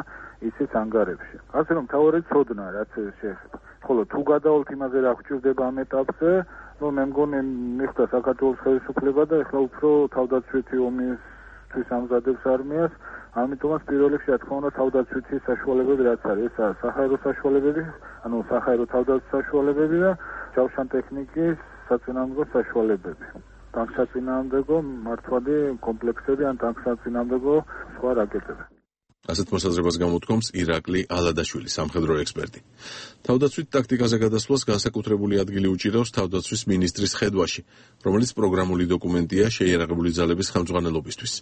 ისიც ანგარებში. ასე რომ თავარი ცოდნა, რაც შეეხება. ხოლო თუ გადავალთ იმაზე რა გვჭირდება ამ ეტაპზე, რომ მე მგონი მიხდა საქართველოს ხელისუფლება და ეხლა უფრო თავდაცვითი ომისთვის ამზადებს არმიას. ამიტომაც პირველ რიგში რა თქმა უნდა თავდაცვითი საშუალებები რაც არის, ესაა საჰაერო საშუალებები, ანუ საჰაერო თავდაცვის საშუალებები და ჯავშან ტექნიკის საწინააღმდეგო საშუალებები. ტანკსაწინააღმდეგო მართვადი კომპლექსები ან ტანკსაწინააღმდეგო სხვა რაკეტები. ასეთ მოსაზრებას გამოთქვამს ირაკლი ალადაშვილი, სამხედრო ექსპერტი. თავდაცვით ტაქტიკაზე გადასვლას განსაკუთრებული ადგილი უჭირავს თავდაცვის მინისტრის ხედვაში, რომელიც პროგრამული დოკუმენტია შეიარაღებული ძალების ხელმძღვანელობისთვის.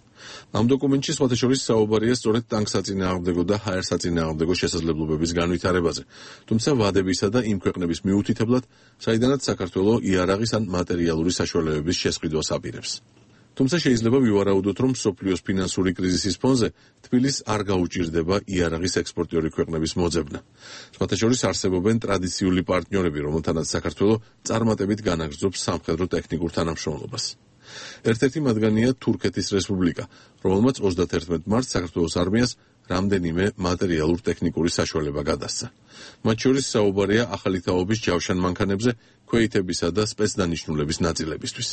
ამ დოკუმენტში სხვათა შორის საუბარია სწორედ ტანკსაწინააღმდეგო და ჰაერსაწინააღმდეგო შესაძლებლობების განვითარებაზე, თუმცა ვადებისა და იმ ქვეყნების მიუთითებლად, საიდანაც საქართველოს იარაღის ან მატერიალური საშუალებების შესყიდვას აპირებს. თუმცა შეიძლება ვივარაუდოთ, რომ მსოფლიოს ფინანსური კრიზისის ფონზე თბილისს არ გაუჭირდება იარაღის ექსპორტიორი ქვეყნების მოძებნა. სხვათა შორის არსებობენ ტრადიციული პარტნიორები, რომელთანაც საქართველოს წარმატებით განაგრძობს სამხედრო ტექნიკურ თანამშრომლობას. ერთ-ერთი მათგანია თურქეთის რესპუბლიკა, რომელმაც 31 მარტს საქართველოს არმიას რამდენიმე მატერიალურ-ტექნიკური საშუალება გადასცა. მათ შორის საუბარია ახალი თაობის ჯავშან მანქანებზე, ქვეითებისა და სპეცდანიშნულების ნაწილებისთვის.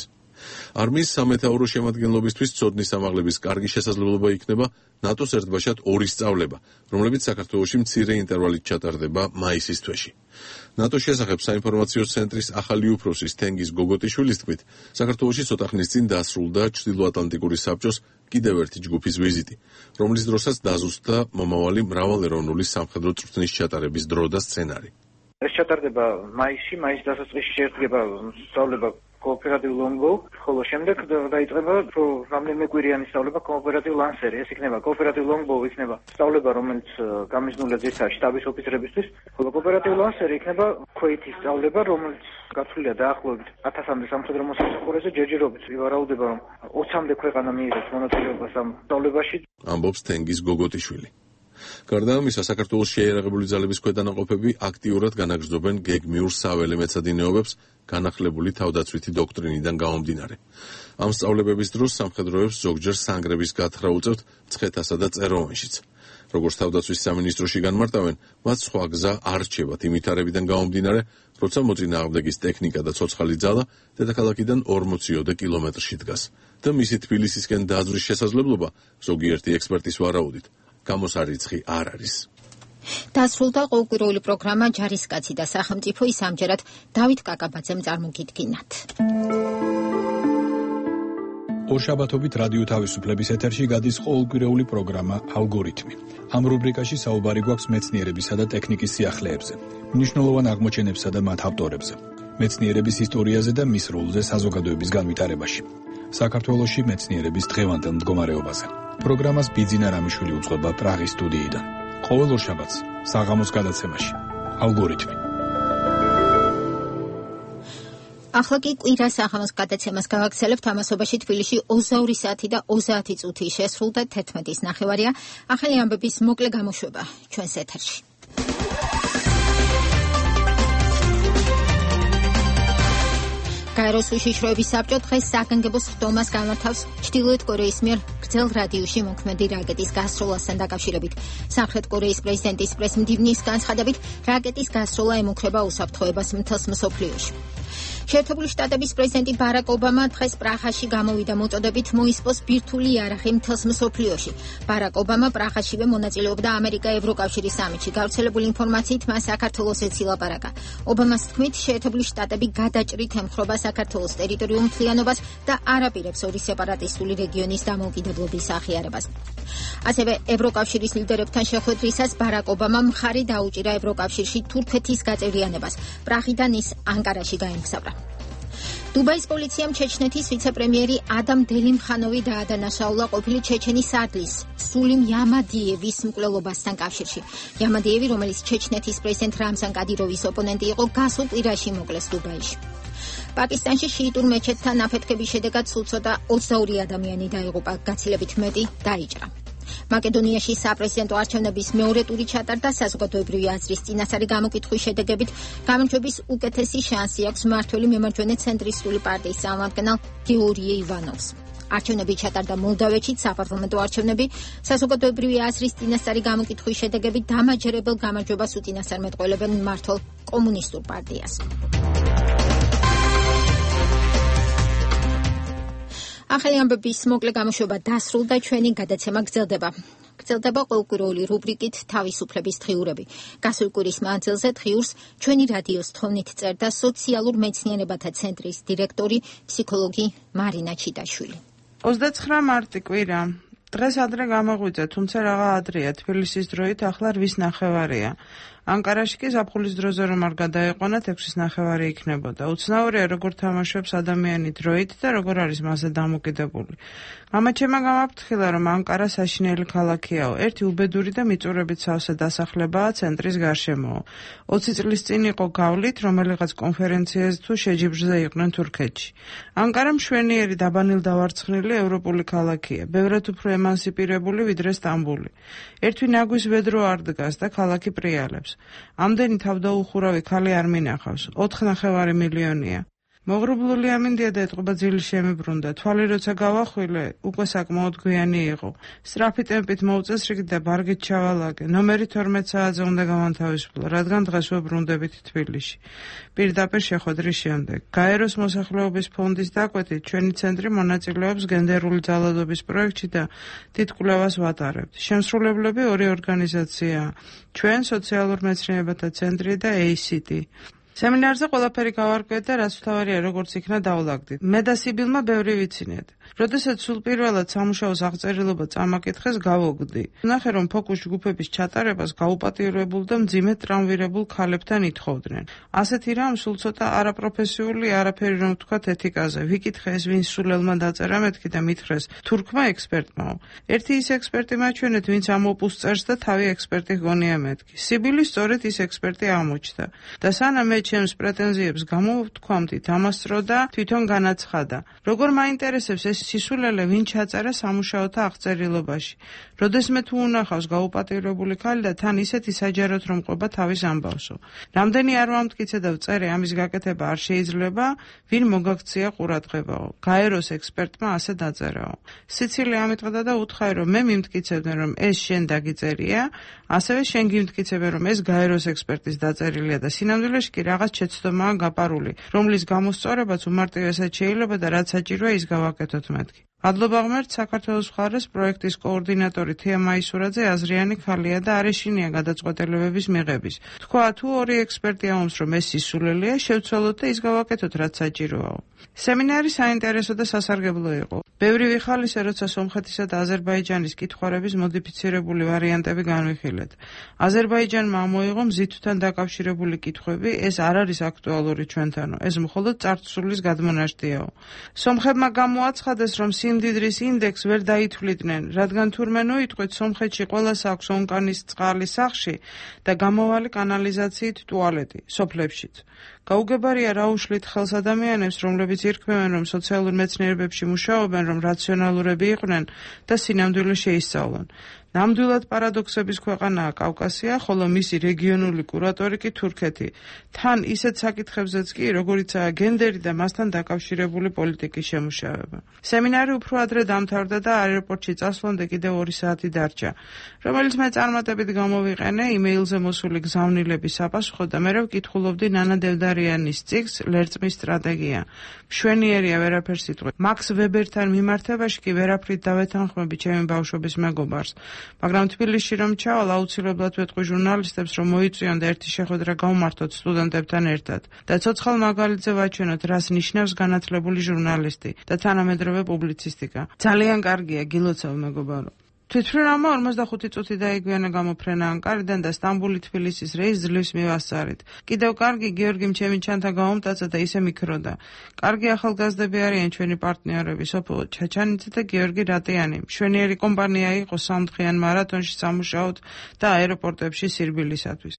არმიის სამეთაურო შემადგენლობისთვის ცოდნის ამაღლების კარგი შესაძლებლობა იქნება ნატოს ერთბაშად 2 სწავლება, რომლებიც საქართველოში მცირე ინტერვალით ჩატარდება მაისის თვეში. ნატოს შესახებ საინფორმაციო ცენტრის ახალი უფროსის თენგიზ გოგოტიშვილის თქმით, საქართველოში ცოტა ხნის წინ დასრულდა ჩრდილოატლანტიკური საბჭოს კიდევ ერთი ჯგუფის ვიზიტი, რომლის დროსაც დაზუსტდა მომავალი მრავალეროვნული სამხედრო წვრთნის ჩატარების დრო და სცენარი. ეს ჩატარდება მაისში, მაისის დასაწყისში შედგება სწავლება კოოპერატივ ლონგო, ხოლო შემდეგ დაიწყება რამდენიმე კვირიანი სწავლება კოოპერატივ ლანსერი. ეს იქნება კოოპერატივ ლონგო, იქნება სწავლება, რომელიც გამიზნულია ძირითადად შტაბის ოფიცრებისთვის, ხოლო კოოპერატივ ლანსერი იქნება ქვეითის სწავლება, რომელიც გათვლილია დაახლოებით 1000-მდე სამხედრო მოსამსახურეზე ჯერჯერობით. ვივარაუდება, რომ 20-მდე ქვეყანა მიიღებს მონაწილეობას ამ სწავლებაში. ამბობს თენგიზ გოგოტიშვილი. გარდა ამისა, საქართველოს შეიარაღებული ძალების ქვედანაყოფები აქტიურად განაგრძობენ გეგმიურ საველე მეცადინეობებს განახლებული თავდაცვითი დოქტრინიდან გამომდინარე. ამ სწავლებების დროს სამხედროებს ზოგჯერ სანგრების გათხრა უწევთ მცხეთასა და წეროვანშიც. როგორც თავდაცვის სამინისტროში განმარტავენ, მათ სხვა გზა არ რჩებათ იმ ვითარებიდან გამომდინარე, როცა მოწინააღმდეგის ტექნიკა და ცოცხალი ძალა დედაქალაქიდან 40-ოდე კილომეტრში დგას და მისი თბილისისკენ დაძვრის შესაძლებლობა ზოგიერთი ექსპერტის ვარაუდით გამოსარიცხი არ არის. დასრულდა ყოველკვირეული პროგრამა ჯარისკაცი და სახელმწიფო, ის ამჯერად დავით კაკაბაძემ წარმოგიდგინათ. ორშაბათობით რადიო თავისუფლების ეთერში გადის ყოველკვირეული პროგრამა ალგორითმი. ამ რუბრიკაში საუბარი გვაქვს მეცნიერებისა და ტექნიკის სიახლეებზე, მნიშვნელოვან აღმოჩენებსა და მათ ავტორებზე, მეცნიერების ისტორიაზე და მის როლზე საზოგადოების განვითარებაში. საქართველოში მეცნიერების დღევანდელ მდგომარეობაზე. პროგრამას ბიძინა რამიშვილი უწყობა პრაღის სტუდიიდან. ყოველ ორშაბათს საღამოს გადაცემაში ალგორითმი. ახლა კი კვირა საღამოს გადაცემას გავაგრძელებთ. ამასობაში თბილისში 22 საათი და 30 წუთი შესრულდა 11:30. ახალი ამბების მოკლე გამოშვება ჩვენს ეთერში. გაეროს უშიშროების საბჭო დღეს საგანგებო სხდომას გამართავს ჩრდილოეთ კორეის მიერ გრძელ რადიუსში მოქმედი რაკეტის გასროლასთან დაკავშირებით. სამხრეთ კორეის პრეზიდენტის პრესმდივნის განცხადებით, რაკეტის გასროლა ემუქრება უსაფრთხოებას მთელს მსოფლიოში. შეერთებული შტატების პრეზიდენტი ბარაკ ობამა დღეს პრაღაში გამოვიდა მოწოდებით მოისპოს ბირთვული იარაღი მთელს მსოფლიოში. ბარაკ ობამა პრაღაშივე მონაწილეობდა ამერიკა-ევროკავშირის სამიტში. გავრცელებული ინფორმაციით მან საქართველოს ელაპარაკა. ობამას თქმით, შეერთებული შტატები გადაჭრით ემხრობა საქართველოს ტერიტორიულ მთლიანობას და არაპირებს ორი სეპარატისტული რეგიონის დამოუკიდებლობის აღიარებას. ასევე ევროკავშირის ლიდერებთან შეხვედრისას ბარაკ ობამამ მხარი დაუჭირა ევროკავშირში თურქეთის გაწევრიანებას. პრაღიდან ის ანკარაში გაემგზავრა. დუბაის პოლიციამ ჩეჩნეთის ვიცე-პრემიერი ადამ დელიმხანოვი დაადანაშაულა ყოფილი ჩეჩენის ადლის სულიმ იამადიევის მკვლელობასთან კავშირში. იამადიევი, რომელიც ჩეჩნეთის პრეზიდენტ რამზან კადიროვის ოპონენტი იყო, გასულ კვირაში მოკლეს დუბაიში. პაკისტანში შიიტურ მეჩეთთან აფეთქების შედეგად სულ ცოტა 22 ადამიანი დაიღუპა, გაცილებით მეტი დაიჭრა. მაკედონიაში საპრეზიდენტო არჩევნების მეორე ტური ჩატარდა. საზოგადოებრივი აზრის წინასწარი გამოკითხვის შედეგებით გამარჯვების უკეთესი შანსი აქვს მმართველი მემარჯვენე ცენტრისტული პარტიის წარმომადგენელ გეორგი ივანოვს. არჩევნები ჩატარდა მოლდავეთში, საპარლამენტო არჩევნები საზოგადოებრივი აზრის წინასწარი გამოკითხვის შედეგებით დამაჯერებელ გამარჯვებას უწინასწარმეტყველებენ მმართველ კომუნისტურ პარტიას. ახალი ამბების მოკლე გამოშვება დასრულდა, ჩვენი გადაცემა გრძელდება. გრძელდება ყოველკვირეული რუბრიკით თავისუფლების დღიურები. გასული კვირის მანძილზე დღიურს ჩვენი რადიოს თხოვნით წერდა სოციალურ მეცნიერებათა ცენტრის დირექტორი, ფსიქოლოგი მარინა ჩიტაშვილი. 29 მარტი კვირა. დღეს ადრე გამოღვიძე, თუმცა რაღა ადრეა, თბილისის დროით ახლა 8:30-ია. ანკარაში კი ზაფხულის დროზე რომ არ გადაეყვანათ 6:30 იქნებოდა. უცნაურია როგორ თამაშობს ადამიანი დროით და როგორ არის მასზე დამოკიდებული. გამაჩემა გამაფრთხილა რომ ანკარა საშინელი ქალაქიაო. ერთი უბედური და მიწურებით სავსე დასახლებაა ცენტრის გარშემო. 20 წლის წინ იყო გავლით რომელიღაც კონფერენციაზე თუ შეჯიბრზე იყვნენ თურქეთში. ანკარა მშვენიერი დაბანილდავარცხნილი ევროპული ქალაქია. ბევრად უფრო ემანსიპირებული ვიდრე სტამბული. ერთი ნაგვის ვედრო არ დგას და ქალაქი პრიალებს. ამდენი თავდაუხურავი ქალი არ მინახავს. 4.5 მილიონია. მოგრუბლული ამინდია და ეთყობა ძილი შემიბრუნდა. თვალი როცა გავახვილე, უკვე საკმაოდ გვიანი იყო. სწრაფი ტემპით მოვწესრიგდი და ბარგით ჩავალაგე. ნომერი 12 საათზე უნდა გამანთავისუფლო, რადგან დღეს ვებრუნდებით თბილისში. პირდაპირ შეხვედრის შემდეგ. გაეროს მოსახლეობის ფონდის დაკვეთით, ჩვენი ცენტრი მონაწილეობს გენდერული ძალადობის პროექტში და დიდ კვლევას ვატარებთ. შემსრულებლები ორი ორგანიზაციაა. ჩვენ სოციალურ მეცნიერებათა ცენტრი და ACT. სემინარზე ყველაფერი გავარკვიეთ და რაც თავარია როგორც იქნა დავლაგდით. მე და სიბილმა ბევრი ვიცინეთ. როდესაც სულ პირველად სამუშაოს აღწერილობა წამაკითხეს, გავოგდი. ნახე რომ ფოკუს ჯგუფების ჩატარებას გაუპატიურებულ და მძიმედ ტრამვირებულ ქალებთან ითხოვდნენ. ასეთი რამ სულ ცოტა არაპროფესიული, არაფერი რომ ვთქვათ ეთიკაზე. ვიკითხე ეს ვინ სულელმა დაწერა მეთქი და მითხრეს თურქმა ექსპერტმაო. ერთი ის ექსპერტი მაჩვენეთ, ვინც ამ ოპუსს წერს და თავი ექსპერტი გონია მეთქი. სიბილი სწორედ ის ექსპერტი აღმოჩნდა. და სანამ მე ჩემს პრეტენზიებს გამოვთქვამდით, ამასწრო და თვითონ განაცხადა. როგორ მაინტერესებს ეს სისულელე ვინ ჩაწერა სამუშაოთა აღწერილობაში. როდესმე თუ უნახავს გაუპატიურებული ქალი და თან ისეთი საჯაროდ რომ ყვება თავის ამბავსო. რამდენი არ ვამტკიცე და ვწერე ამის გაკეთება არ შეიძლება, ვინ მოგაქცია ყურადღებაო. გაეროს ექსპერტმა ასე დაწერაო. სიცილე ამიტყდა და უთხარი რომ მე მიმტკიცებდნენ რომ ეს შენ დაგიწერია, ასევე შენ გიმტკიცებენ რომ ეს გაეროს ექსპერტის დაწერილია და სინამდვილეში კი რაღაც შეცდომაა გაპარული, რომლის გამოსწორებაც უმარტივესად შეიძლება და რაც საჭიროა ის გავაკეთოთ მეთქი. მადლობა ღმერთს, საქართველოს მხარეს პროექტის კოორდინატორი თია მაისურაძე აზრიანი ხალია და არ ეშინია გადაწყვეტილებების მიღების. თქვა, თუ ორი ექსპერტი ამბობს, რომ ეს სისულელეა, შევცვალოთ და ის გავაკეთოთ, რაც საჭიროა. სემინარი საინტერესო და სასარგებლო იყო. ბევრი ვიხალისე, როცა სომხეთისა და აზერბაიჯანის კითხვარების მოდიფიცირებული ვარიანტები განვიხილეთ. აზერბაიჯანმა ამოიღო მზითვთან დაკავშირებული კითხვები, ეს არ არის აქტუალური ჩვენთანო, ეს მხოლოდ წარსულის გადმონაშთიაო. სომხებმა გამოაცხადეს, რომ სიმდიდრის ინდექს ვერ დაითვლიდნენ, რადგან თურმე ნოიტყვით სომხეთში ყველას აქვს ონკანის წყალი სახლში და გამოვალი კანალიზაციით ტუალეტი, სოფლებშიც. გაუგებარია რა უშლით ხელს ადამიანებს, რომლებიც ირქმევენ, რომ სოციალურ მეცნიერებებში მუშაობენ, რომ რაციონალურები იყვნენ და სინამდვილე შეისწავლონ. ნამდვილად პარადოქსების ქვეყანაა კავკასია, ხოლო მისი რეგიონული კურატორი კი თურქეთი. თან ისეთ საკითხებზეც კი, როგორიცაა გენდერი და მასთან დაკავშირებული პოლიტიკის შემუშავება. სემინარი უფრო ადრე დამთავრდა და აეროპორტში წასვლამდე კიდევ 2 საათი დარჩა, რომელიც მე წარმატებით გამოვიყენე იმეილზე მოსული გზავნილების საპასუხოდ და მერე ვკითხულობდი ნანა დევდარიანის წიგნს ლერწმის სტრატეგია. მშვენიერია ვერაფერს იტყვი. მაქს ვებერთან მიმართებაში კი ვერაფრით დავეთანხმები ჩემი ბავშვობის მეგობარს. მაგრამ თბილისში რომ ჩავალ, აუცილებლად ვეთყვი ჟურნალისტებს, რომ მოიწვიონ და ერთი შეხვედრა გავმართოთ სტუდენტებთან ერთად და ცოცხალ მაგალითზე ვაჩვენოთ, რას ნიშნავს განათლებული ჟურნალისტი და თანამედროვე პუბლიცისტიკა. ძალიან კარგია, გილოცავ მეგობარო. თვითმფრინავმა 45 წუთი დაიგვიანა გამოფრენა ანკარიდან და სტამბული-თბილისის რეისს ძლივს მივასწარით. კიდევ კარგი გიორგი მჩემიჩანთა გაუმტაცა და ისე მიქროდა. კარგი ახალგაზრდები არიან ჩვენი პარტნიორები, სოფო ჩაჩანიძე და გიორგი რატიანი. მშვენიერი კომპანია იყო სამდღიან მარათონში სამუშაოდ და აეროპორტებში სირბილისათვის.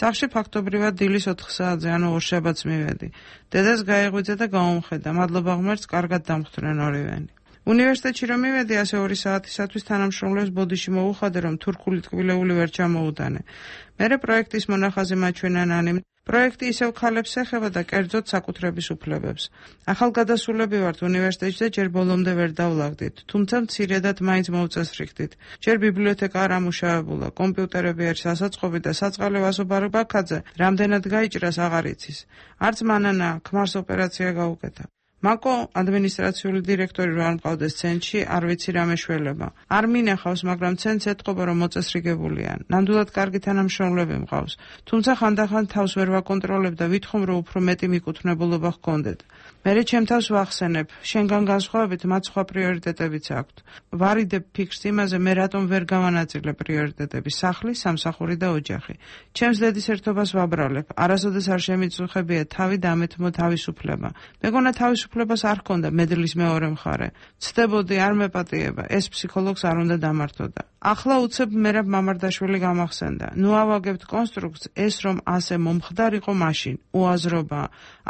სახლში ფაქტობრივად დილის 4 საათზე, ანუ ორშაბათს მივედი. დედას გაეღვიძე და გაუმხედა. მადლობა ღმერთს, კარგად დამხვდნენ ორივენი. უნივერსიტეტში რომ მივედი, ასე 2 საათისათვის თანამშრომლებს ბოდიში მოუხადე, რომ თურქული ტკბილეული ვერ ჩამოუტანე. მერე პროექტის მონახაზი მაჩვენა ნანიმ. პროექტი ისევ ქალებს ეხება და კერძოდ საკუთრების უფლებებს. ახალგადასულები ვართ უნივერსიტეტში და ჯერ ბოლომდე ვერ დავლაგდით, თუმცა მცირედად მაინც მოვწესრიგდით. ჯერ ბიბლიოთეკა არ ამუშავებულა, კომპიუტერები არის ასაწყობი და საწყალე ვასობარი ბაქაძე რამდენად გაიჭრას აღარ იცის. არც მანანა ქმარს ოპერაცია გაუკეთა. მაკო ადმინისტრაციული დირექტორი რო არ მყავდეს ცენტრში, არ ვიცი რა მეშველება. არ მინახავს, მაგრამ ცენტრს ეთყობა, რომ მოწესრიგებულიან. ნამდვილად კარგი თანამშრომლები მყავს. თუმცა ხანდახან თავს ვერ ვაკონტროლებ და ვითხოვ, რომ უფრო მეტი მიკუთვნებულობა ჰქონდეთ. მერე ჩემ თავს ვახსენებ, შენგან განსხვავებით მათ სხვა პრიორიტეტებიც აქვთ. ვარიდებ ფიქრს იმაზე, მე რატომ ვერ გავანაწილე პრიორიტეტები, სახლი, სამსახური და ოჯახი. ჩემს დედის ერთობას ვაბრალებ. არასოდეს არ შემიწუხებია თავი დამეთმო თავისუფლება. მეგონა თავისუფლებას არ ჰქონდა მედლის მეორე მხარე. ცდებოდი, არ მეპატიება, ეს ფსიქოლოგს არ უნდა დამართოდა. ახლა უცებ მერაბ მამარდაშვილი გამახსენდა. ნუ ავაგებთ კონსტრუქცს, ეს რომ ასე მომხდარიყო მაშინ, უაზრობა.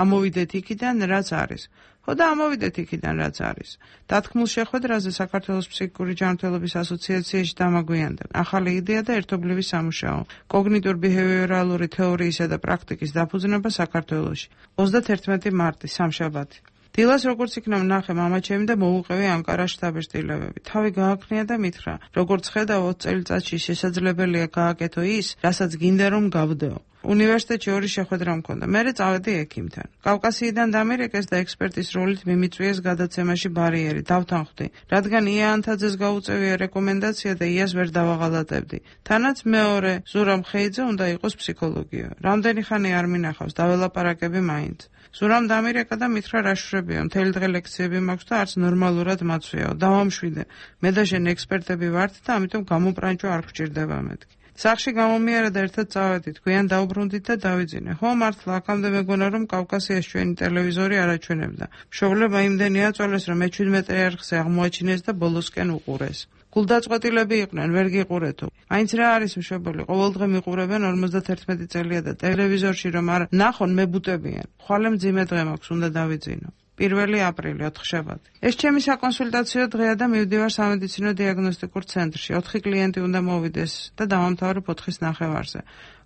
ამოვიდეთ იქიდან, რაც არის. ხო და ამოვიდეთ იქიდან, რაც არის. დათქმულ შეხვედრაზე საქართველოს ფსიქიკური ჯანმრთელობის ასოციაციაში დამაგვიანდა. ახალი იდეა და ერთობლივი სამუშაო. კოგნიტურ-ბიჰევიორალური თეორიისა და პრაქტიკის დაფუძნება საქართველოში. 31 მარტი, სამშაბათი. დილას როგორც იქნა ვნახე მამაჩემი და მოუყევი ანკარაში დაბეჭდილებები. თავი გააქნია და მითხრა, როგორც ხედავ 20 წელიწადში შესაძლებელია გააკეთო ის, რასაც გინდა რომ გავდეო. უნივერსიტეტში 2 შეხვედრა მქონდა. მერე წავედი ექიმთან. კავკასიიდან დამირეკეს და ექსპერტის როლით მიმიწვიეს გადაცემაში ბარიერი. დავთანხმდი, რადგან ია ანთაძეს გაუწევია რეკომენდაცია და იას ვერ დავაღალატებდი. თანაც მეორე ზურამ ხეიძე უნდა იყოს ფსიქოლოგია. რამდენი ხანი არ მინახავს, დაველაპარაკები მაინც. ზურამ დამირეკა და მითხრა რა შვრებია, მთელი დღე ლექციები მაქვს და არც ნორმალურად მაცვიაო. დავამშვიდე. მე და შენ ექსპერტები ვართ და ამიტომ გამოპრანჭო არ გვჭირდება მეთქი. სახლში გამომიარა და ერთად წავედით, გვიან დავბრუნდით და დავიძინე. ხო, მართლა, აქამდე მეგონა რომ კავკასიაში ჩვენი ტელევიზორი არ აჩვენებდა. მშობლებმა იმდენი აწვალეს, რომ მე 17 არხზე აღმოაჩინეს და ბოლოსკენ უყურეს. გულდაწყვეტილები იყვნენ, ვერ გიყურეთო. მაინც რა არის მშობელი, ყოველდღე მიყურებენ 51 წელია და ტელევიზორში რომ არ ნახონ მებუტებიან. ხვალე მძიმე დღე მაქვს, უნდა დავიძინო. 1 აპრილი, 4 შაბათი. ეს ჩემი საკონსულტაციო დღეა და მივდივარ სამედიცინო დიაგნოსტიკურ ცენტრში. 4 კლიენტი უნდა მოვიდეს და დავამთავრე 4-ის ნახევარზე.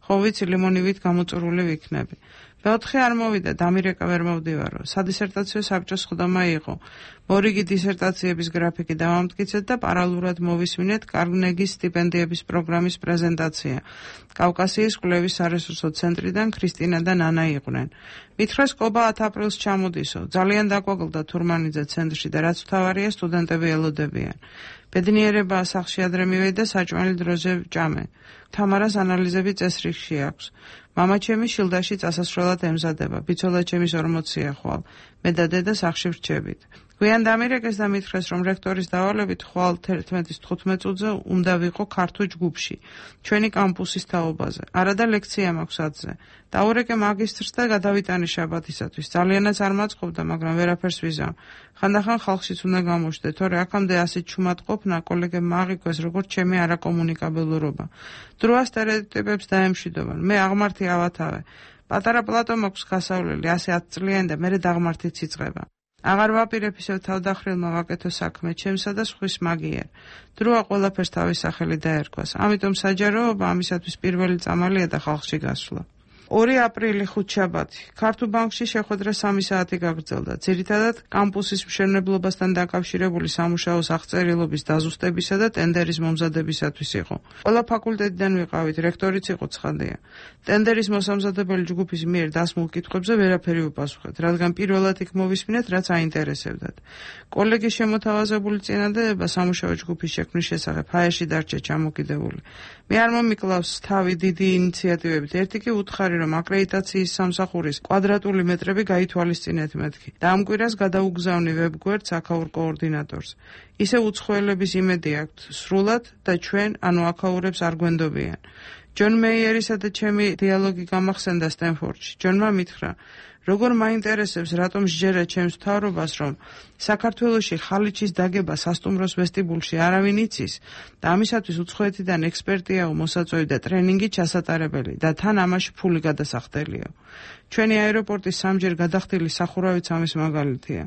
ხო ვიცი, ლიმონივით გამოწურული ვიქნები. მეოთხე არ მოვიდა, დამირეკა ვერ მოვდივარო. სადისერტაციო საბჭოს ხდომა იყო. მორიგი დისერტაციების გრაფიკი დავამტკიცეთ და პარალელურად მოვისმინეთ კარნეგის სტიპენდიების პროგრამის პრეზენტაცია. კავკასიის კვლევის სარესურსო ცენტრიდან ქრისტინა და ნანა იყვნენ. მითხრეს კობა 10 აპრილს ჩამოდისო. ძალიან დაგვაგლდა თურმანიძე ცენტრში და რაც მთავარია სტუდენტები ელოდებიან. ბედნიერება სახლში ადრე მივედი და საჭმელი დროზე ვჭამე. თამარას ანალიზები წესრიგში აქვს. მამა ჩემი შილდაში წასასვლელად ემზადება. ბიცოლა ჩემის 40-ია ხვალ. მე და დედა სახლში ვრჩებით. გვიან დამირეკეს და მითხრეს, რომ რექტორის დავალებით ხვალ 11-ის 15 წუთზე უნდა ვიყო ქართულ ჯგუფში, ჩვენი კამპუსის თაობაზე. არა და ლექცია მაქვს 10-ზე. დაურეკე მაგისტრს და გადავიტანე შაბათისათვის. ძალიანაც არ მაწყობდა, მაგრამ ვერაფერს ვიზამ. ხანდახან ხალხშიც უნდა გამოჩნდე, თორე აქამდე ასეთ ჩუმად ყოფნა კოლეგებმა აღიქვეს, როგორც ჩემი არაკომუნიკაბელურობა. დროა სტერეოტიპებს დაემშვიდობენ. მე აღმართი ავათავე. პატარა პლატო მაქვს გასავლელი, ასე 10 წლიანი და მერე დაღმართიც იწყება. აღარ ვაპირებ ისევ თავდახრილმა ვაკეთო საქმე ჩემსა და სხვის მაგიერ. დროა ყველაფერს თავის სახელი დაერქვას. ამიტომ საჯაროობა ამისათვის პირველი წამალია და ხალხში გასვლა. 2 აპრილი ხუთშაბათი. ქართულ ბანკში შეხვედრა 3 საათი გაგრძელდა. ძირითადად კამპუსის მშენებლობასთან დაკავშირებული სამუშაოს აღწერილობის დაზუსტებისა და ტენდერის მომზადებისათვის იყო. ყველა ფაკულტეტიდან ვიყავით, რექტორიც იყო ცხადია. ტენდერის მოსამზადებელი ჯგუფის მიერ დასმულ კითხვებზე ვერაფერი უპასუხეთ, რადგან პირველად იქ მოვისმინეთ, რაც აინტერესებდათ. კოლეგის შემოთავაზებული წინადადება სამუშაო ჯგუფის შექმნის შესახებ ჰაერში დარჩა ჩამოკიდებული. მე არ მომიკლავს თავი დიდი ინიციატივებით. ერთი კი უთხარი, რომ აკრედიტაციის სამსახურის კვადრატული მეტრები გაითვალისწინეთ მეთქი. და ამ კვირას გადაუგზავნი ვებგვერდს აქაურ კოორდინატორს. ისე უცხოელების იმედი აქვთ სრულად და ჩვენ, ანუ აქაურებს არ გვენდობიან. ჯონ მეიერისა და ჩემი დიალოგი გამახსენდა სტენფორდში. ჯონმა მითხრა, როგორ მაინტერესებს, რატომ სჯერა ჩემს მთავრობას, რომ საქართველოში ხალიჩის დაგება სასტუმროს ვესტიბულში არავინ იცის და ამისათვის უცხოეთიდან ექსპერტიაო მოსაწვევი და ტრენინგი ჩასატარებელი და თან ამაში ფული გადასახდელიო. ჩვენი აეროპორტის სამჯერ გადახდილი სახურავიც ამის მაგალითია.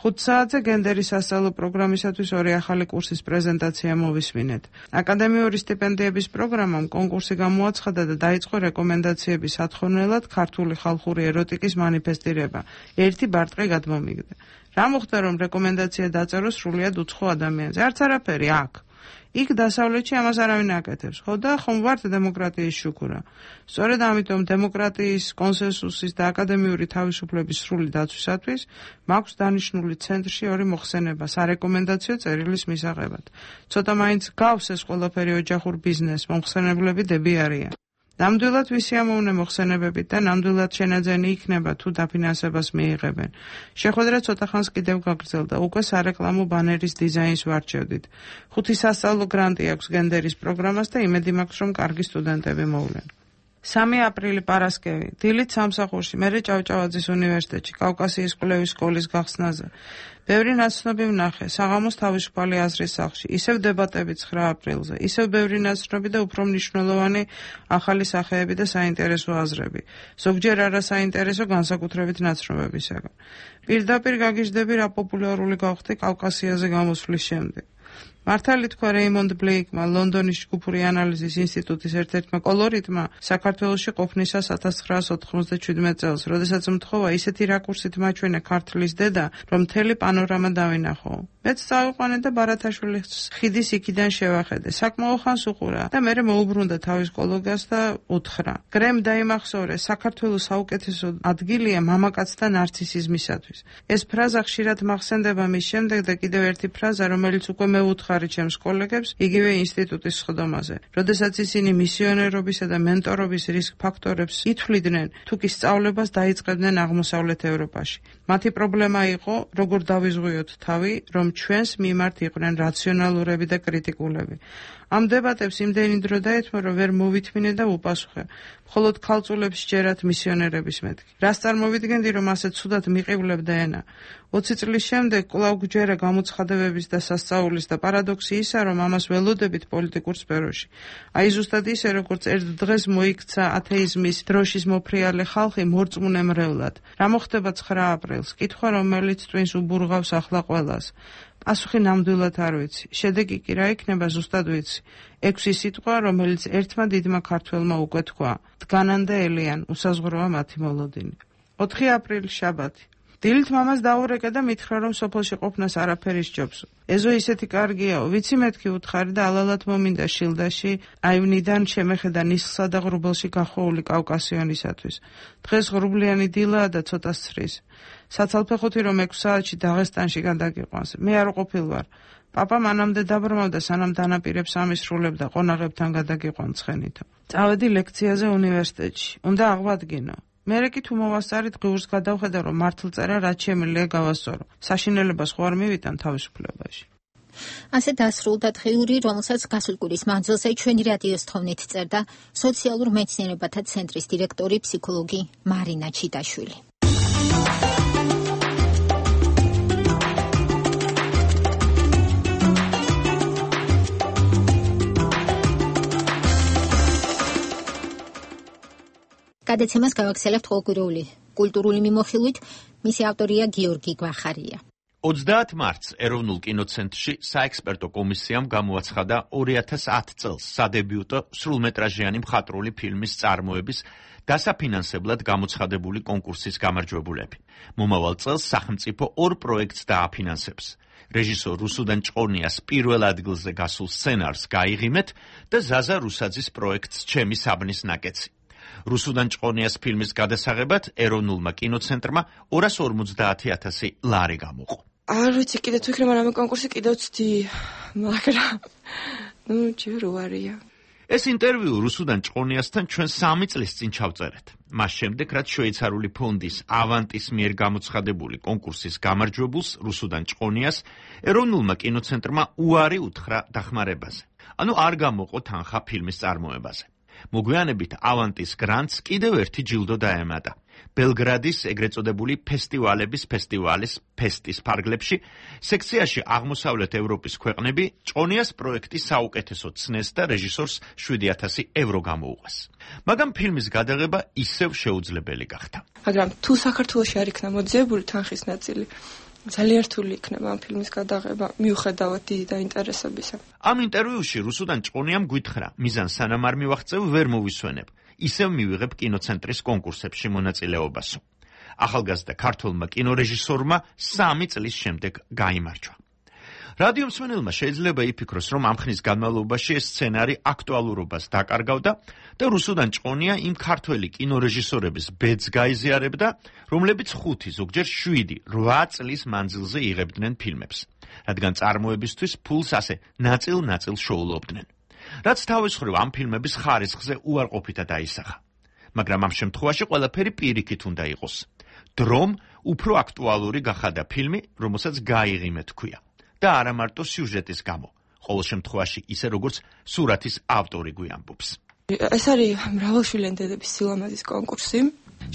5 საათზე გენდერის სასწავლო პროგრამისათვის 2 ახალი კურსის პრეზენტაცია მოვისმინეთ. აკადემიური სტიპენდიების პროგრამამ კონკურსი გამოაცხადა და დაიწყო რეკომენდაციების სათხოვნელად ქართული ხალხური ეროტიკის მანიფესტირება. ერთი ბარტყი გადმომიგდა. რა მოხდა, რომ რეკომენდაცია დაწეროს სრულიად უცხო ადამიანზე? არც არაფერი აქ. იქ დასავლეთში ამას არავინ აკეთებს. ხო და ხომ ვართ დემოკრატიის შუქურა. სწორედ ამიტომ დემოკრატიის, კონსენსუსის და აკადემიური თავისუფლების სრული დაცვისათვის მაქვს დანიშნული ცენტრში 2 მოხსენება სარეკომენდაციო წერილის მისაღებად. ცოტა მაინც გავს ეს ყველაფერი ოჯახურ ბიზნესს, მომხსენებლები დები არიან. ნამდვილად ვისიამოვნე მოხსენებებით და ნამდვილად შენაძენი იქნება თუ დაფინანსებას მიიღებენ. შეხვედრა ცოტა ხანს კიდევ გაგრძელდა. უკვე სარეკლამო ბანერის დიზაინს ვარჩევდით. 5 სასწავლო გრანტი აქვს გენდერის პროგრამას და იმედი მაქვს, რომ კარგი სტუდენტები მოვლენ. 3 აპრილი პარასკევი. დილით სამსახურში, მერე ჭავჭავაძის უნივერსიტეტში, კავკასიის კვლევის სკოლის გახსნაზე. ბევრი ნაცნობი ვნახე, საღამოს თავისუფალი აზრის სახლში, ისევ დებატები 9 აპრილზე, ისევ ბევრი ნაცნობი და უფრო მნიშვნელოვანი ახალი სახეები და საინტერესო აზრები. ზოგჯერ არასაინტერესო განსაკუთრებით ნაცნობებისაგან. პირდაპირ გაგიჟდები, რა პოპულარული გავხდი კავკასიაზე გამოსვლის შემდეგ. მართალი თქვა რეიმონდ ბლეიკმა, ლონდონის ჯგუფური ანალიზის ინსტიტუტის ერთ-ერთმა კოლორიტმა, საქართველოში ყოფნისას 1997 წელს, როდესაც მთხოვა ისეთი რაკურსით მაჩვენე ქართლის დედა, რომ მთელი პანორამა დავინახო. მეც წავიყვანე და ბარათაშვილის ხიდის იქიდან შევახედე. საკმაო ხანს უყურა და მერე მოუბრუნდა თავის კოლეგას და უთხრა: გრემ დაიმახსოვრე, საქართველოს საუკეთესო ადგილია მამაკაცთა ნარცისიზმისათვის. ეს ფრაზა ხშირად მახსენდება მის შემდეგ და კიდევ ერთი ფრაზა, რომელიც უკვე მეუთხარი ჩემს კოლეგებს იგივე ინსტიტუტის სხდომაზე. როდესაც ისინი მისიონერობისა და მენტორობის რისკ ფაქტორებს ითვლიდნენ, თუ კი სწავლებას დაიწყებდნენ აღმოსავლეთ ევროპაში. მათი პრობლემა იყო, როგორ დავიზღვიოთ თავი, რომ ჩვენს მიმართ იყვნენ რაციონალურები და კრიტიკულები. ამ დებატებს იმდენი დრო დაეთმო, რომ ვერ მოვითმინე და უპასუხე. მხოლოდ ქალწულებს სჯერათ მისიონერების მეთქი. რას წარმოვიდგენდი, რომ ასე ცუდად მიყივლებდა ენა. 20 წლის შემდეგ კვლავ გვჯერა გამოცხადებების და სასწაულის და პარადოქსი ისა, რომ ამას ველოდებით პოლიტიკურ სფეროში. აი ზუსტად ისე, როგორც ერთ დღეს მოიქცა ათეიზმის დროშის მოფრიალე ხალხი მორწმუნე მრევლად. რა მოხდება 9 აპრილს? კითხვა, რომელიც twins უბურღავს ახლა ყველას. პასუხი ნამდვილად არ ვიცი. შედეგი კი რა იქნება ზუსტად ვიცი. 6 სიტყვა, რომელიც ერთმა დიდმა ქართველმა უკვე თქვა. დგანან და ელიან, უსაზღვროა მათი მოლოდინი. 4 აპრილი შაბათი. დილით მამას დაურეკე და მითხრა, რომ სოფელში ყოფნას არაფერი სჯობს. ეზო ისეთი კარგიაო, ვიცი მეთქი უთხარი და ალალად მომინდა შილდაში, აივნიდან შემეხედა ნისლსა და ღრუბელში გახვეული კავკასიონისათვის. დღეს ღრუბლიანი დილაა და ცოტა სცრის. საცალფეხოთი რომ 6 საათში დაღესტანში გადაგიყვანს. მე არ ყოფილ ვარ. პაპა მანამდე დაბრმავდა, სანამ დანაპირებს ამისრულებდა, ყონაღებთან გადაგიყვან ცხენითო. წავედი ლექციაზე უნივერსიტეტში. უნდა აღვადგინო. მერე კი თუ მოვასწარით ღიურს გადავხედა, რომ მართლწერა რაც შემიძლია გავასწორო. საშინელებას ხო არ მივიტან თავისუფლებაში. ასე დასრულდა დღიური, რომელსაც გასული კვირის მანძილზე ჩვენი რადიოს თხოვნით წერდა სოციალურ მეცნიერებათა ცენტრის დირექტორი ფსიქოლოგი მარინა ჩიტაშვილი. გადაცემას გავაგრძელებთ ყოველკვირეული კულტურული მიმოხილვით, მისი ავტორია გიორგი გვახარია. 30 მარტს ეროვნულ კინოცენტრში საექსპერტო კომისიამ გამოაცხადა 2010 წელს სადებიუტო სრულმეტრაჟიანი მხატვრული ფილმის წარმოების დასაფინანსებლად გამოცხადებული კონკურსის გამარჯვებულები. მომავალ წელს სახელმწიფო 2 პროექტს დააფინანსებს. რეჟისორ რუსუდან ჭყონიას პირველ ადგილზე გასულ სცენარს გაიღიმეთ და ზაზა რუსაძის პროექტს ჩემი საბნის ნაკეცი. რუსუდან ჭყონიას ფილმის გადასაღებად ეროვნულმა კინოცენტრმა 250,000 ლარი გამოყო. არ ვიცი კიდე თუ იქნება რამე კონკურსი კიდევ ვცდი, მაგრამ ჯერ უარია. ეს ინტერვიუ რუსუდან ჭყონიასთან ჩვენ 3 წლის წინ ჩავწერეთ. მას შემდეგ, რაც შვეიცარიული ფონდის ავანტის მიერ გამოცხადებული კონკურსის გამარჯვებულს რუსუდან ჭყონიას ეროვნულმა კინოცენტრმა უარი უთხრა დახმარებაზე. ანუ არ გამოყო თანხა ფილმის წარმოებაზე. მოგვიანებით ავანტის გრანტს კიდევ ერთი ჯილდო დაემატა. ბელგრადის ეგრეთ წოდებული ფესტივალების ფესტივალის ფესტის ფარგლებში სექციაში აღმოსავლეთ ევროპის ქვეყნები ჭყონიას პროექტის საუკეთესო ცნეს და რეჟისორს 7,000 ევრო გამოუყეს. მაგრამ ფილმის გადაღება ისევ შეუძლებელი გახდა. მაგრამ თუ საქართველოში არ იქნა მოძიებული თანხის ნაწილი, ძალიან რთული იქნება ამ ფილმის გადაღება, მიუხედავად დიდი დაინტერესებისა. ამ ინტერვიუში რუსუდან ჭყონიამ გვითხრა, მიზანს სანამ არ მივახცევ, ვერ მოვისვენებ. ისევ მივიღებ კინოცენტრის კონკურსებში მონაწილეობასო. ახალგაზრდა ქართველმა კინორეჟისორმა 3 წლის შემდეგ გაიმარჯვა. რადიო მსმენელმა შეიძლება იფიქროს, რომ ამ ხნის განმავლობაში ეს სცენარი აქტუალურობას დაკარგავდა და რუსუდან ჭყონია იმ ქართველი კინორეჟისორების ბედს გაიზიარებდა, რომლებიც 5, ზოგჯერ 7, 8 წლის მანძილზე იღებდნენ ფილმებს, რადგან წარმოებისთვის ფულს ასე ნაწილ-ნაწილ შოულობდნენ. რაც თავის მხრივ ამ ფილმების ხარისხზე უარყოფითად აისახა. მაგრამ ამ შემთხვევაში ყველაფერი პირიქით უნდა იყოს. დრომ უფრო აქტუალური გახადა ფილმი, რომელსაც გაიღიმე თქვია. და არა მარტო სიუჟეტის გამო, ყოველ შემთხვევაში ისე როგორც სურათის ავტორი გვიამბობს. ეს არის მრავალშვილიანი დედების სილამაზის კონკურსი.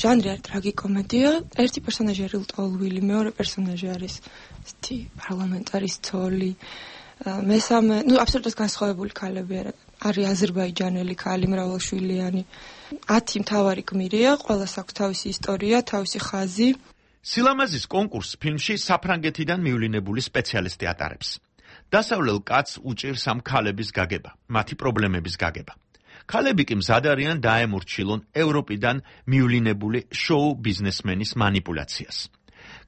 ჟანრი არის ტრაგიკომედია. ერთი პერსონაჟი არის ლტოლვილი, მეორე პერსონაჟი არის ესეთი პარლამენტარის ცოლი. მესამე, აბსოლუტურად განსხვავებული ქალები არის აზერბაიჯანელი ქალი, მრავალშვილიანი. 10 მთავარი გმირია, ყველას აქვს თავისი ისტორია, თავისი ხაზი. სილამაზის კონკურსს ფილმში საფრანგეთიდან მივლინებული სპეციალისტი ატარებს. დასავლელ კაცს უჭირს ამ ქალების გაგება, მათი პრობლემების გაგება. ქალები კი მზად არიან დაემორჩილონ ევროპიდან მივლინებული შოუ ბიზნესმენის манипуляციას.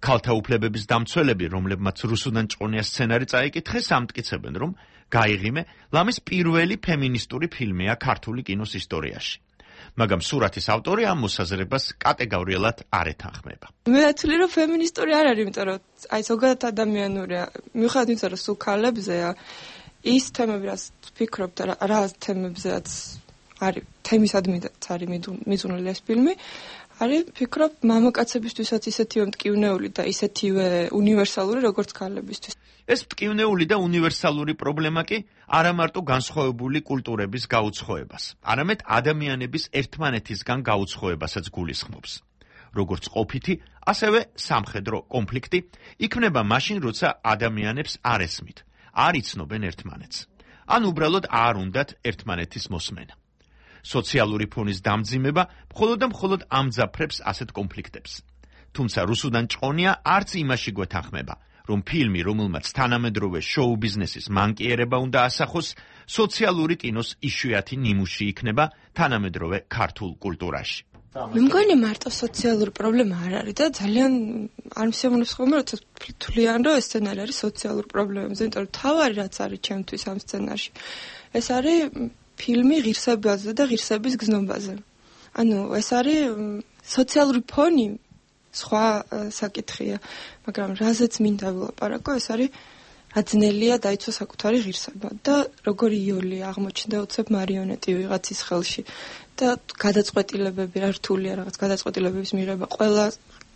ქალთა უფლებების დამცველები, რომლებმაც რუსუდან ჭყონიას სცენარი წაიკითხეს, ამტკიცებენ, რომ გაიღიმე ლამის პირველი ფემინისტური ფილმია ქართული კინოს ისტორიაში. მაგრამ სურათის ავტორი ამ მოსაზრებას კატეგორიულად არ ეთანხმება. მე ვთვლი, რომ ფემინისტური არ არის, იმიტომ რომ აი ზოგადად ადამიანურია. მიუხედავად იმისა, რომ სულ ქალებზეა, ის თემები, რაც ვფიქრობ და რა თემებზეაც არის თემისადმიდაც არის მიზუნული ეს ფილმი, არის ვფიქრობ მამაკაცებისთვისაც ისეთივე მტკივნეული და ისეთივე უნივერსალური, როგორც ქალებისთვის. ეს მტკივნეული და უნივერსალური პრობლემა კი არა მარტო განსხვავებული კულტურების გაუცხოებას, არამედ ადამიანების ერთმანეთისგან გაუცხოებასაც გულისხმობს. როგორც ყოფითი, ასევე სამხედრო კონფლიქტი იქმნება მაშინ, როცა ადამიანებს არ ესმით, არ იცნობენ ერთმანეთს, ან უბრალოდ არ უნდათ ერთმანეთის მოსმენა. სოციალური ფონის დამძიმება მხოლოდ და მხოლოდ ამძაფრებს ასეთ კონფლიქტებს. თუმცა რუსუდან ჭყონია არც იმაში გვეთანხმება, რომ ფილმი, რომელმაც თანამედროვე შოუ ბიზნესის მანკიერება უნდა ასახოს, სოციალური კინოს იშვიათი ნიმუში იქნება თანამედროვე ქართულ კულტურაში. მე მგონი მარტო სოციალური პრობლემა არ არის და ძალიან არ მსიამოვნებს ხოლმე როცა თვლიან რომ ეს სცენარი არის სოციალური პრობლემებზე, იმიტომ რომ თავარი რაც არის ჩემთვის ამ სცენარში ეს არის ფილმი ღირსებაზე და ღირსების გზნობაზე. ანუ ეს არის სოციალური ფონი სხვა საკითხია, მაგრამ რაზეც მინდა ვილაპარაკო, ეს არის აძნელია დაიცვა საკუთარი ღირსება და როგორი იოლი აღმოჩნდა უცებ მარიონეტი ვიღაცის ხელში და გადაწყვეტილებები რა რთულია რაღაც გადაწყვეტილებების მიღება ყველა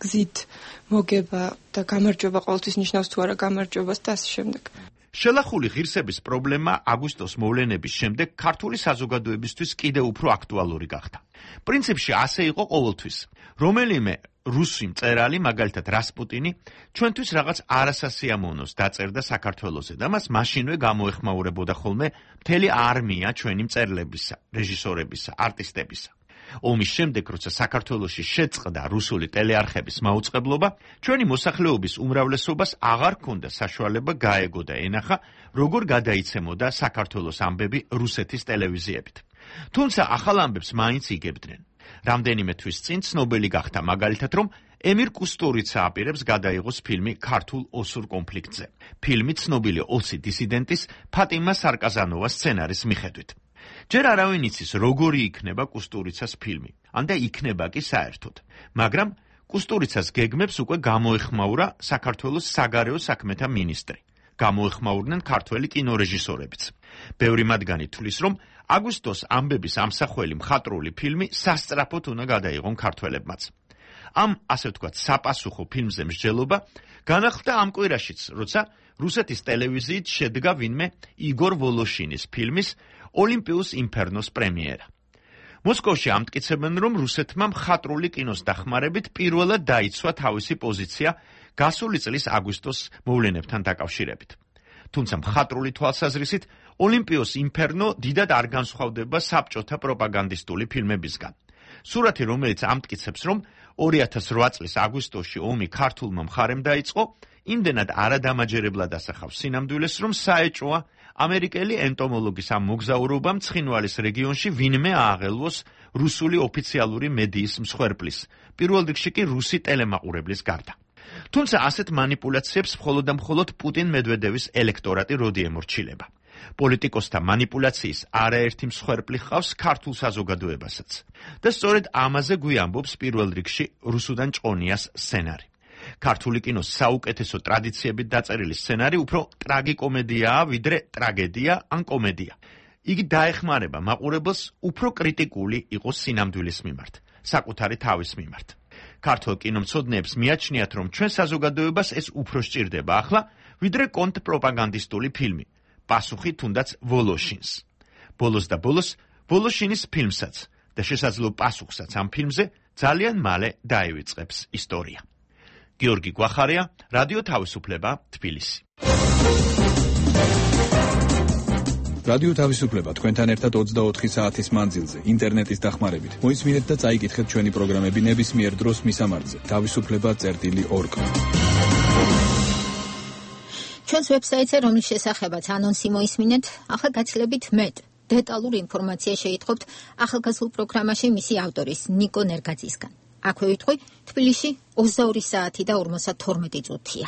გზით მოგება და გამარჯვება ყოველთვის ნიშნავს თუ არა გამარჯვებას და ასე შემდეგ. შელახული ღირსების პრობლემა აგვისტოს მოვლენების შემდეგ ქართული საზოგადოებისთვის კიდევ უფრო აქტუალური გახდა. პრინციპში ასე იყო ყოველთვის. რომელიმე რუსი მწერალი, მაგალითად რასპუტინი, ჩვენთვის რაღაც არასასიამოვნოს დაწერდა საქართველოზე და მას მაშინვე გამოეხმაურებოდა ხოლმე მთელი არმია ჩვენი მწერლებისა, რეჟისორებისა, არტისტებისა. ომის შემდეგ, როცა საქართველოში შეწყდა რუსული ტელეარხების მაუწყებლობა, ჩვენი მოსახლეობის უმრავლესობას აღარ ჰქონდა საშუალება გაეგო და ენახა, როგორ გადაიცემოდა საქართველოს ამბები რუსეთის ტელევიზიებით. თუმცა ახალ ამბებს მაინც იგებდნენ. რამდენიმე თვის წინ ცნობილი გახდა მაგალითად, რომ ემირ კუსტურიცა აპირებს გადაიღოს ფილმი ქართულ ოსურ კონფლიქტზე. ფილმი ცნობილი ოსი დისიდენტის ფატიმა სარკაზანოვას სცენარის მიხედვით. ჯერ არავინ იცის, როგორი იქნება კუსტურიცას ფილმი, ან და იქნება კი საერთოდ. მაგრამ კუსტურიცას გეგმებს უკვე გამოეხმაურა საქართველოს საგარეო საქმეთა მინისტრი. გამოეხმაურნენ ქართველი კინორეჟისორებიც. ბევრი მათგანი თვლის, რომ აგვისტოს ამბების ამსახველი მხატვრული ფილმი სასწრაფოდ უნდა გადაიღონ ქართველებმაც. ამ, ასე ვთქვათ, საპასუხო ფილმზე მსჯელობა განახლდა ამ კვირაშიც, როცა რუსეთის ტელევიზიით შედგა ვინმე იგორ ვოლოშინის ფილმის ოლიმპიუს ინფერნოს პრემიერა. მოსკოვში ამტკიცებენ, რომ რუსეთმა მხატვრული კინოს დახმარებით პირველად დაიცვა თავისი პოზიცია გასული წლის აგვისტოს მოვლენებთან დაკავშირებით. თუმცა მხატვრული თვალსაზრისით ოლიმპიუს ინფერნო დიდად არ განსხვავდება საბჭოთა პროპაგანდისტული ფილმებისგან. სურათი, რომელიც ამტკიცებს, რომ 2008 წლის აგვისტოში ომი ქართულმა მხარემ დაიწყო, იმდენად არადამაჯერებლად ასახავს სინამდვილეს, რომ საეჭოა ამერიკელი ენტომოლოგის ამ მოგზაურობამ ცხინვალის რეგიონში ვინმე ააღელვოს რუსული ოფიციალური მედიის მსხვერპლის, პირველ რიგში კი რუსი ტელემაყურებლის გარდა. თუმცა ასეთ манипуляციებს მხოლოდ და მხოლოდ პუტინ მედვედევის ელექტორატი როდი ემორჩილება. პოლიტიკოსთა манипуляციის არაერთი მსხვერპლი ჰყავს ქართულ საზოგადოებასაც. და სწორედ ამაზე გვიამბობს პირველ რიგში რუსუდან ჭყონიას სცენარი. ქართული კინოს საუკეთესო ტრადიციებით დაწერილი სცენარი უფრო ტრაგიკომედიაა, ვიდრე ტრაგედია ან კომედია. იგი დაეხმარება მაყურებელს უფრო კრიტიკული იყოს სინამდვილის მიმართ, საკუთარი თავის მიმართ. ქართულ კინომცოდნეებს მიაჩნიათ, რომ ჩვენ საზოგადოებას ეს უფრო სჭირდება ახლა, ვიდრე კონტრპროპაგანდისტული ფილმი. პასუხი თუნდაც ვოლოშინს. ბოლოს და ბოლოს ვოლოშინის ფილმსაც და შესაძლო პასუხსაც ამ ფილმზე ძალიან მალე დაივიწყებს ისტორია. გიორგი გვახარია, რადიო თავისუფლება, თბილისი. რადიო თავისუფლება თქვენთან ერთად 24 საათის მანძილზე, ინტერნეტის დახმარებით. მოისმინეთ და წაიკითხეთ ჩვენი პროგრამები ნებისმიერ დროს მისამართზე. თავისუფლება.org. ჩვენს ვებსაიტზე, რომლის შესახებაც ანონსი მოისმინეთ, ახლა გაცილებით მეტ დეტალური ინფორმაცია შეითხოვთ ახალგაზრდულ პროგრამაში მისი ავტორის ნიკო ნერგაძისგან. აქვე ვიტყვი, თბილისში 22 საათი და 52 წუთია.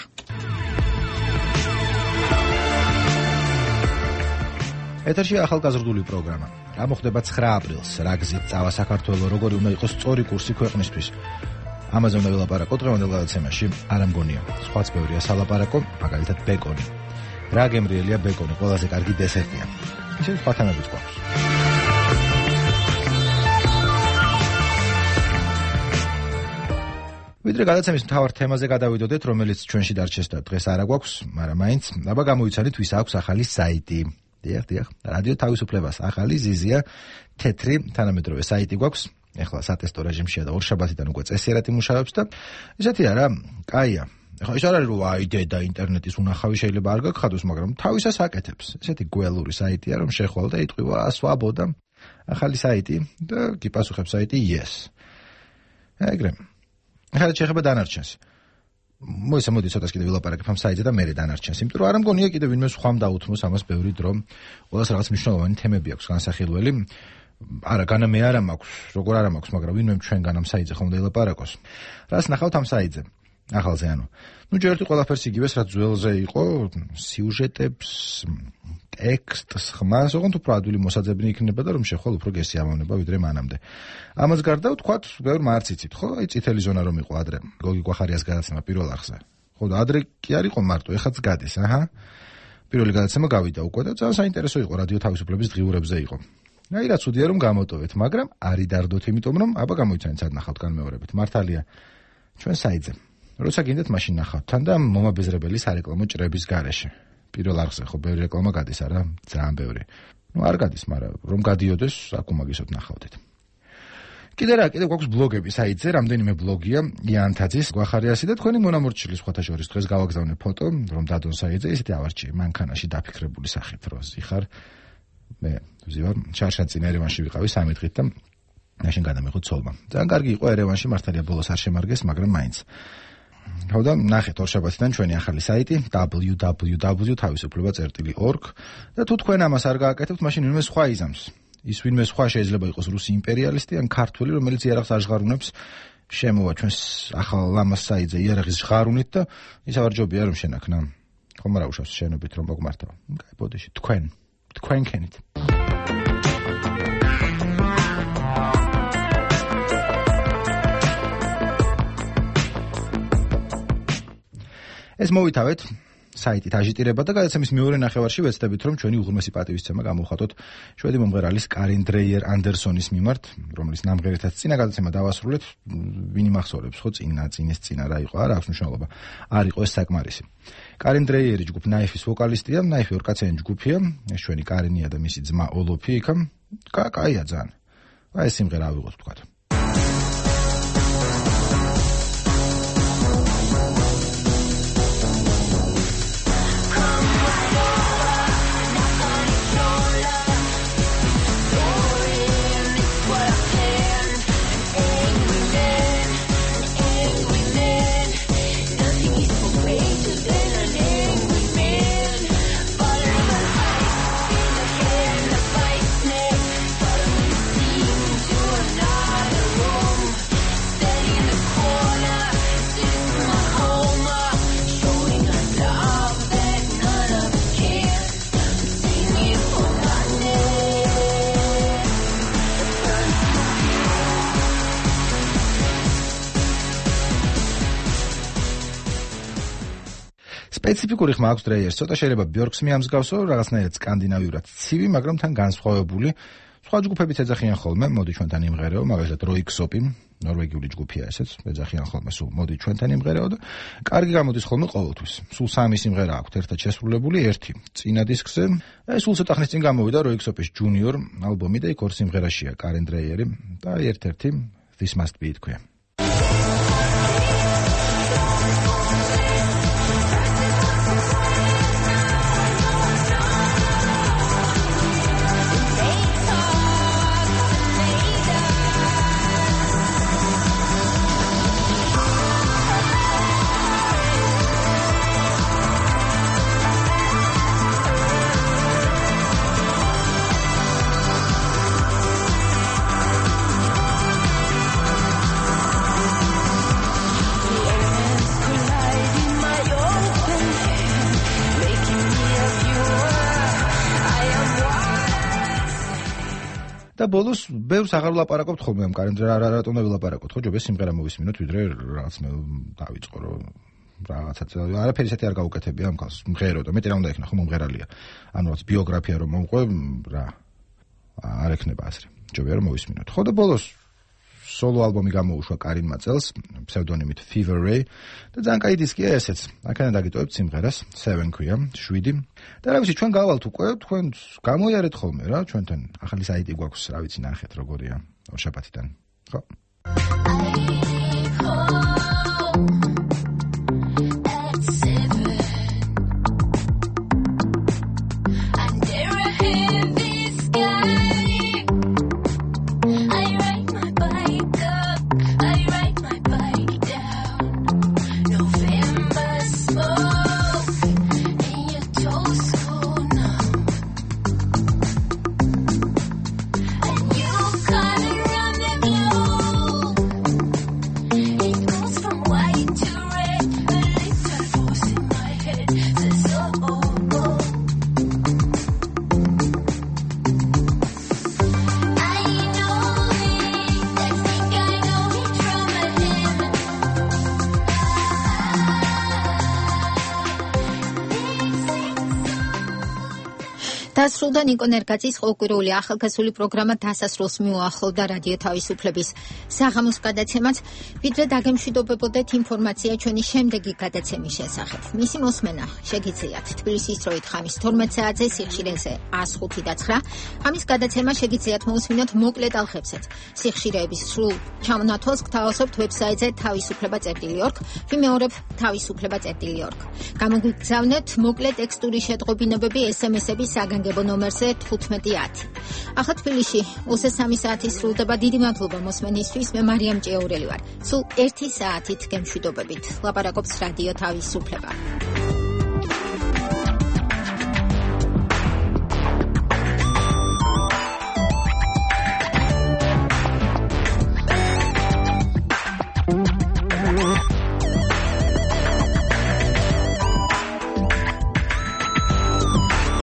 ეთერში ახალგაზრდული პროგრამა. რა მოხდება 9 აპრილს, რა გზით წავა საქართველო, როგორი უნდა იყოს სწორი კურსი ქვეყნისთვის. ამაზე უნდა ვილაპარაკოთ დღევანდელ გადაცემაში, არ ამგონია. სხვაც ბევრია სალაპარაკო, მაგალითად ბეკონი. რა გემრიელია ბეკონი, ყველაზე კარგი დესერტია. ისე სხვა თემებიც გვაქვს. ვიდრე გადაცემის მთავარ თემაზე გადავიდოდეთ, რომელიც ჩვენში დარჩეს და დღეს არა გვაქვს, მაგრამ მაინც, აბა გამოიცანით, ვის აქვს ახალი საიტი. დიახ, რადიო თავისუფლებას ახალი ზიზია, თეთრი, თანამედროვე საიტი გვაქვს. ეხლა სატესტო რეჟიმშია და ორშაბათიდან უკვე წესიერად იმუშავებს და ესეთია რა, კაია. ეხლა ის არ არის რომ აიდე და ინტერნეტის უნახავი შეიძლება არ გაგხადოს, მაგრამ თავისას აკეთებს. ესეთი გველური საიტია, რომ შეხვალ და იტყვივა სვაბოდა ახალი საიტი და გიპასუხებს საიტი yes. ეგრე. ახლა შეიძლება დანარჩენს. მოიცა მოდი ცოტას კიდე ვილაპარაკებ ამ საიტზე და მერე დანარჩენს. იმიტომ რომ არ მგონია კიდე ვინმე სხვამ დაუთმოს ამას ბევრი დრო. ყველას რაღაც მნიშვნელოვანი თემები აქვს განსახილველი. არა, განა მე არა მაქვს, როგორ არა მაქვს, მაგრამ ვინმე ჩვენგან ამ საიტზე ხომ დაილაპარაკოს. რას ნახავთ ამ საიტზე? ახალზე ანუ. ჯერ ერთი ყველაფერს იგივეს, რაც ძველზე იყო, სიუჟეტებს, ტექსტს, ხმას, ოღონდ უფრო ადვილი მოსაძებნი იქნება და რომ შეხვალ უფრო გესიამოვნება ვიდრე მანამდე. ამას გარდა ვთქვათ, ბევრ მარციცით, ხო? აი წითელი ზონა რომ იყო ადრე, გოგი კვახარიას გადაცემა პირველ არხზე. ხო და ადრე კი არ იყო მარტო, ეხაც გადის, აჰა. პირველი გადაცემა გავიდა უკვე და ძალიან საინტერესო იყო, რადიო თავისუფლების დღიურებზე იყო. აი რა ცუდია რომ გამოტოვეთ, მაგრამ არი დარდოთ, იმიტომ რომ აბა გამოიცანეთ სად ნახავთ განმეორებით. მართალია ჩვენ საიტზე. როცა გინდათ მაშინ ნახავთ თან და მომაბეზრებელი სარეკლამო ჭრების გარეშე. პირველ არხზე ხო ბევრი რეკლამა გადის, არა? ძალიან ბევრი. არ გადის, მაგრამ რომ გადიოდეს, აქ უმაგისოდ ნახავდეთ. კიდე გვაქვს ბლოგები საიტზე, რამდენიმე ბლოგია, იანთაძის, კვახარიასი და თქვენი მონამორჩილის სხვათა შორის დღეს გავაგზავნე ფოტო, რომ დადონ საიტზე, ისეთი ავარჩიე, მანქანაში დაფიქრებული სახით, რომ ზიხარ მე ვზივარ, შარშანწინ ერევანში ვიყავი 3 დღით და მაშინ გადამიღო ცოლმა. ძალიან კარგი იყო ერევანში, მართალია ბოლოს არ შემარგეს, მაგრამ მაინც. ხო და ნახეთ ორშაბათიდან ჩვენი ახალი საიტი www.tavisufleba.org და თუ თქვენ ამას არ გააკეთებთ, მაშინ ვინმე სხვა იზამს. ის ვინმე სხვა შეიძლება იყოს რუსი იმპერიალისტი ან ქართველი, რომელიც იარაღს არ ჟღარუნებს, შემოვა ჩვენს ახალ ამას საიტზე იარაღის ჟღარუნით და ის ავარჯობია რომ შენაქნა. ხომ არა უშავს შენობით რომ მოგმართავ. კაი, ბოდიში, თქვენ ქენით. ეს მოვითავეთ საიტით აჟიტირება და გადაცემის მეორე ნახევარში ვეცდებით რომ ჩვენი უღრმესი პატივისცემა გამოვხატოთ შვედი მომღერალის კარინ დრეიერ ანდერსონის მიმართ, რომელიც ნამღერითაც წინა გადაცემა დავასრულეთ, ვინი მახსოვრებს ხო წინა რა იყო, არა აქვს მნიშვნელობა. არ იყო ეს საკმარისი. კარინ დრეიერი ჯგუფ ნაიფის ვოკალისტია, ნაიფი ორკაციანი ჯგუფია, ეს ჩვენი კარინია და მისი ძმა ოლოფი იქა. კაია ძალიან. აი ეს სიმღერა ავიღოთ ვთქვათ. სპეციფიკური ხმა აქვს დრეიერს, ცოტა შეიძლება ბიორკს მიამსგავსო, რაღაცნაირად სკანდინავიურად ცივი, მაგრამ თან განსხვავებული. სხვა ჯგუფებიც ეძახიან ხოლმე, მოდი ჩვენთან იმღერეო, მაგალითად როიქსოპი, ნორვეგიული ჯგუფია ესეც, ეძახიან ხოლმე, სულ მოდი ჩვენთან იმღერეო და კარგი გამოდის ხოლმე ყოველთვის. სულ 3 სიმღერა აქვს ერთად შესრულებული, ერთი წინა დისკზე. სულ ცოტა ხნის წინ გამოვიდა როიქსოპის ჯუნიორ ალბომი და იქ 2 სიმღერაშია კარინ დრეიერი და ერთ-ერთი This Must Be It ქვია. და ბოლოს ბევრს აღარ ვლაპარაკობთ ხოლმე ამ კარენ რატომ ვილაპარაკოთ ხო ჯობია სიმღერა მოვისმინოთ ვიდრე რაღაც მე დავიწყო რომ რაღაცაც არაფერი ისეთი არ გაუკეთებია ამ კაცს მღერო და მეტი რა უნდა იქნა ხო მომღერალია ანუ რაც ბიოგრაფია რომ მომყვე რა არ ექნება ასე ჯობია რომ მოვისმინოთ ხო და ბოლოს სოლო ალბომი გამოუშვა კარინმა წელს ფსევდონიმით Fever Ray და ძალიან კაი დისკია ესეც აქედან დაგიტოვებთ სიმღერას 7 ქვია 7 და რა ვიცი ჩვენ გავალთ უკვე თქვენ გამოიარეთ ხოლმე რა ჩვენთან ახალი საიტი გვაქვს რა ვიცი ნახეთ როგორია ორშაბათიდან ხო November დასრულდა ნიკო ნერგაძის ყოველკვირეული ახალგაზრდული პროგრამა დასასრულს მიუახლოვდა რადიო თავისუფლების საღამოს გადაცემაც, ვიდრე დაგემშვიდობებოდეთ ინფორმაცია ჩვენი შემდეგი გადაცემის შესახებ. მისი მოსმენა შეგიძლიათ თბილისის დროით ხამის 12 საათზე სიხშირეზე 105.9. ამის გადაცემა შეგიძლიათ მოусმინოთ მოკლე ტალღებზეც. სიხშირეების სრულ ჩამონათვალს გთავაზობთ ვებსაიტზე თავისუფლება.org, ვიმეორებ თავისუფლება.org. გამოგვიგზავნეთ მოკლე ტექსტური შეტყობინებები SMS-ების საგანგებო ნომერზე 1510. ახლა თბილისში 23 საათი სრულდება. დიდი მადლობა მოსმენისთვის. მე მარიამ ჭიაურელი ვარ. სულ 1 საათით გემშვიდობებით. ლაპარაკობს რადიო თავისუფლება.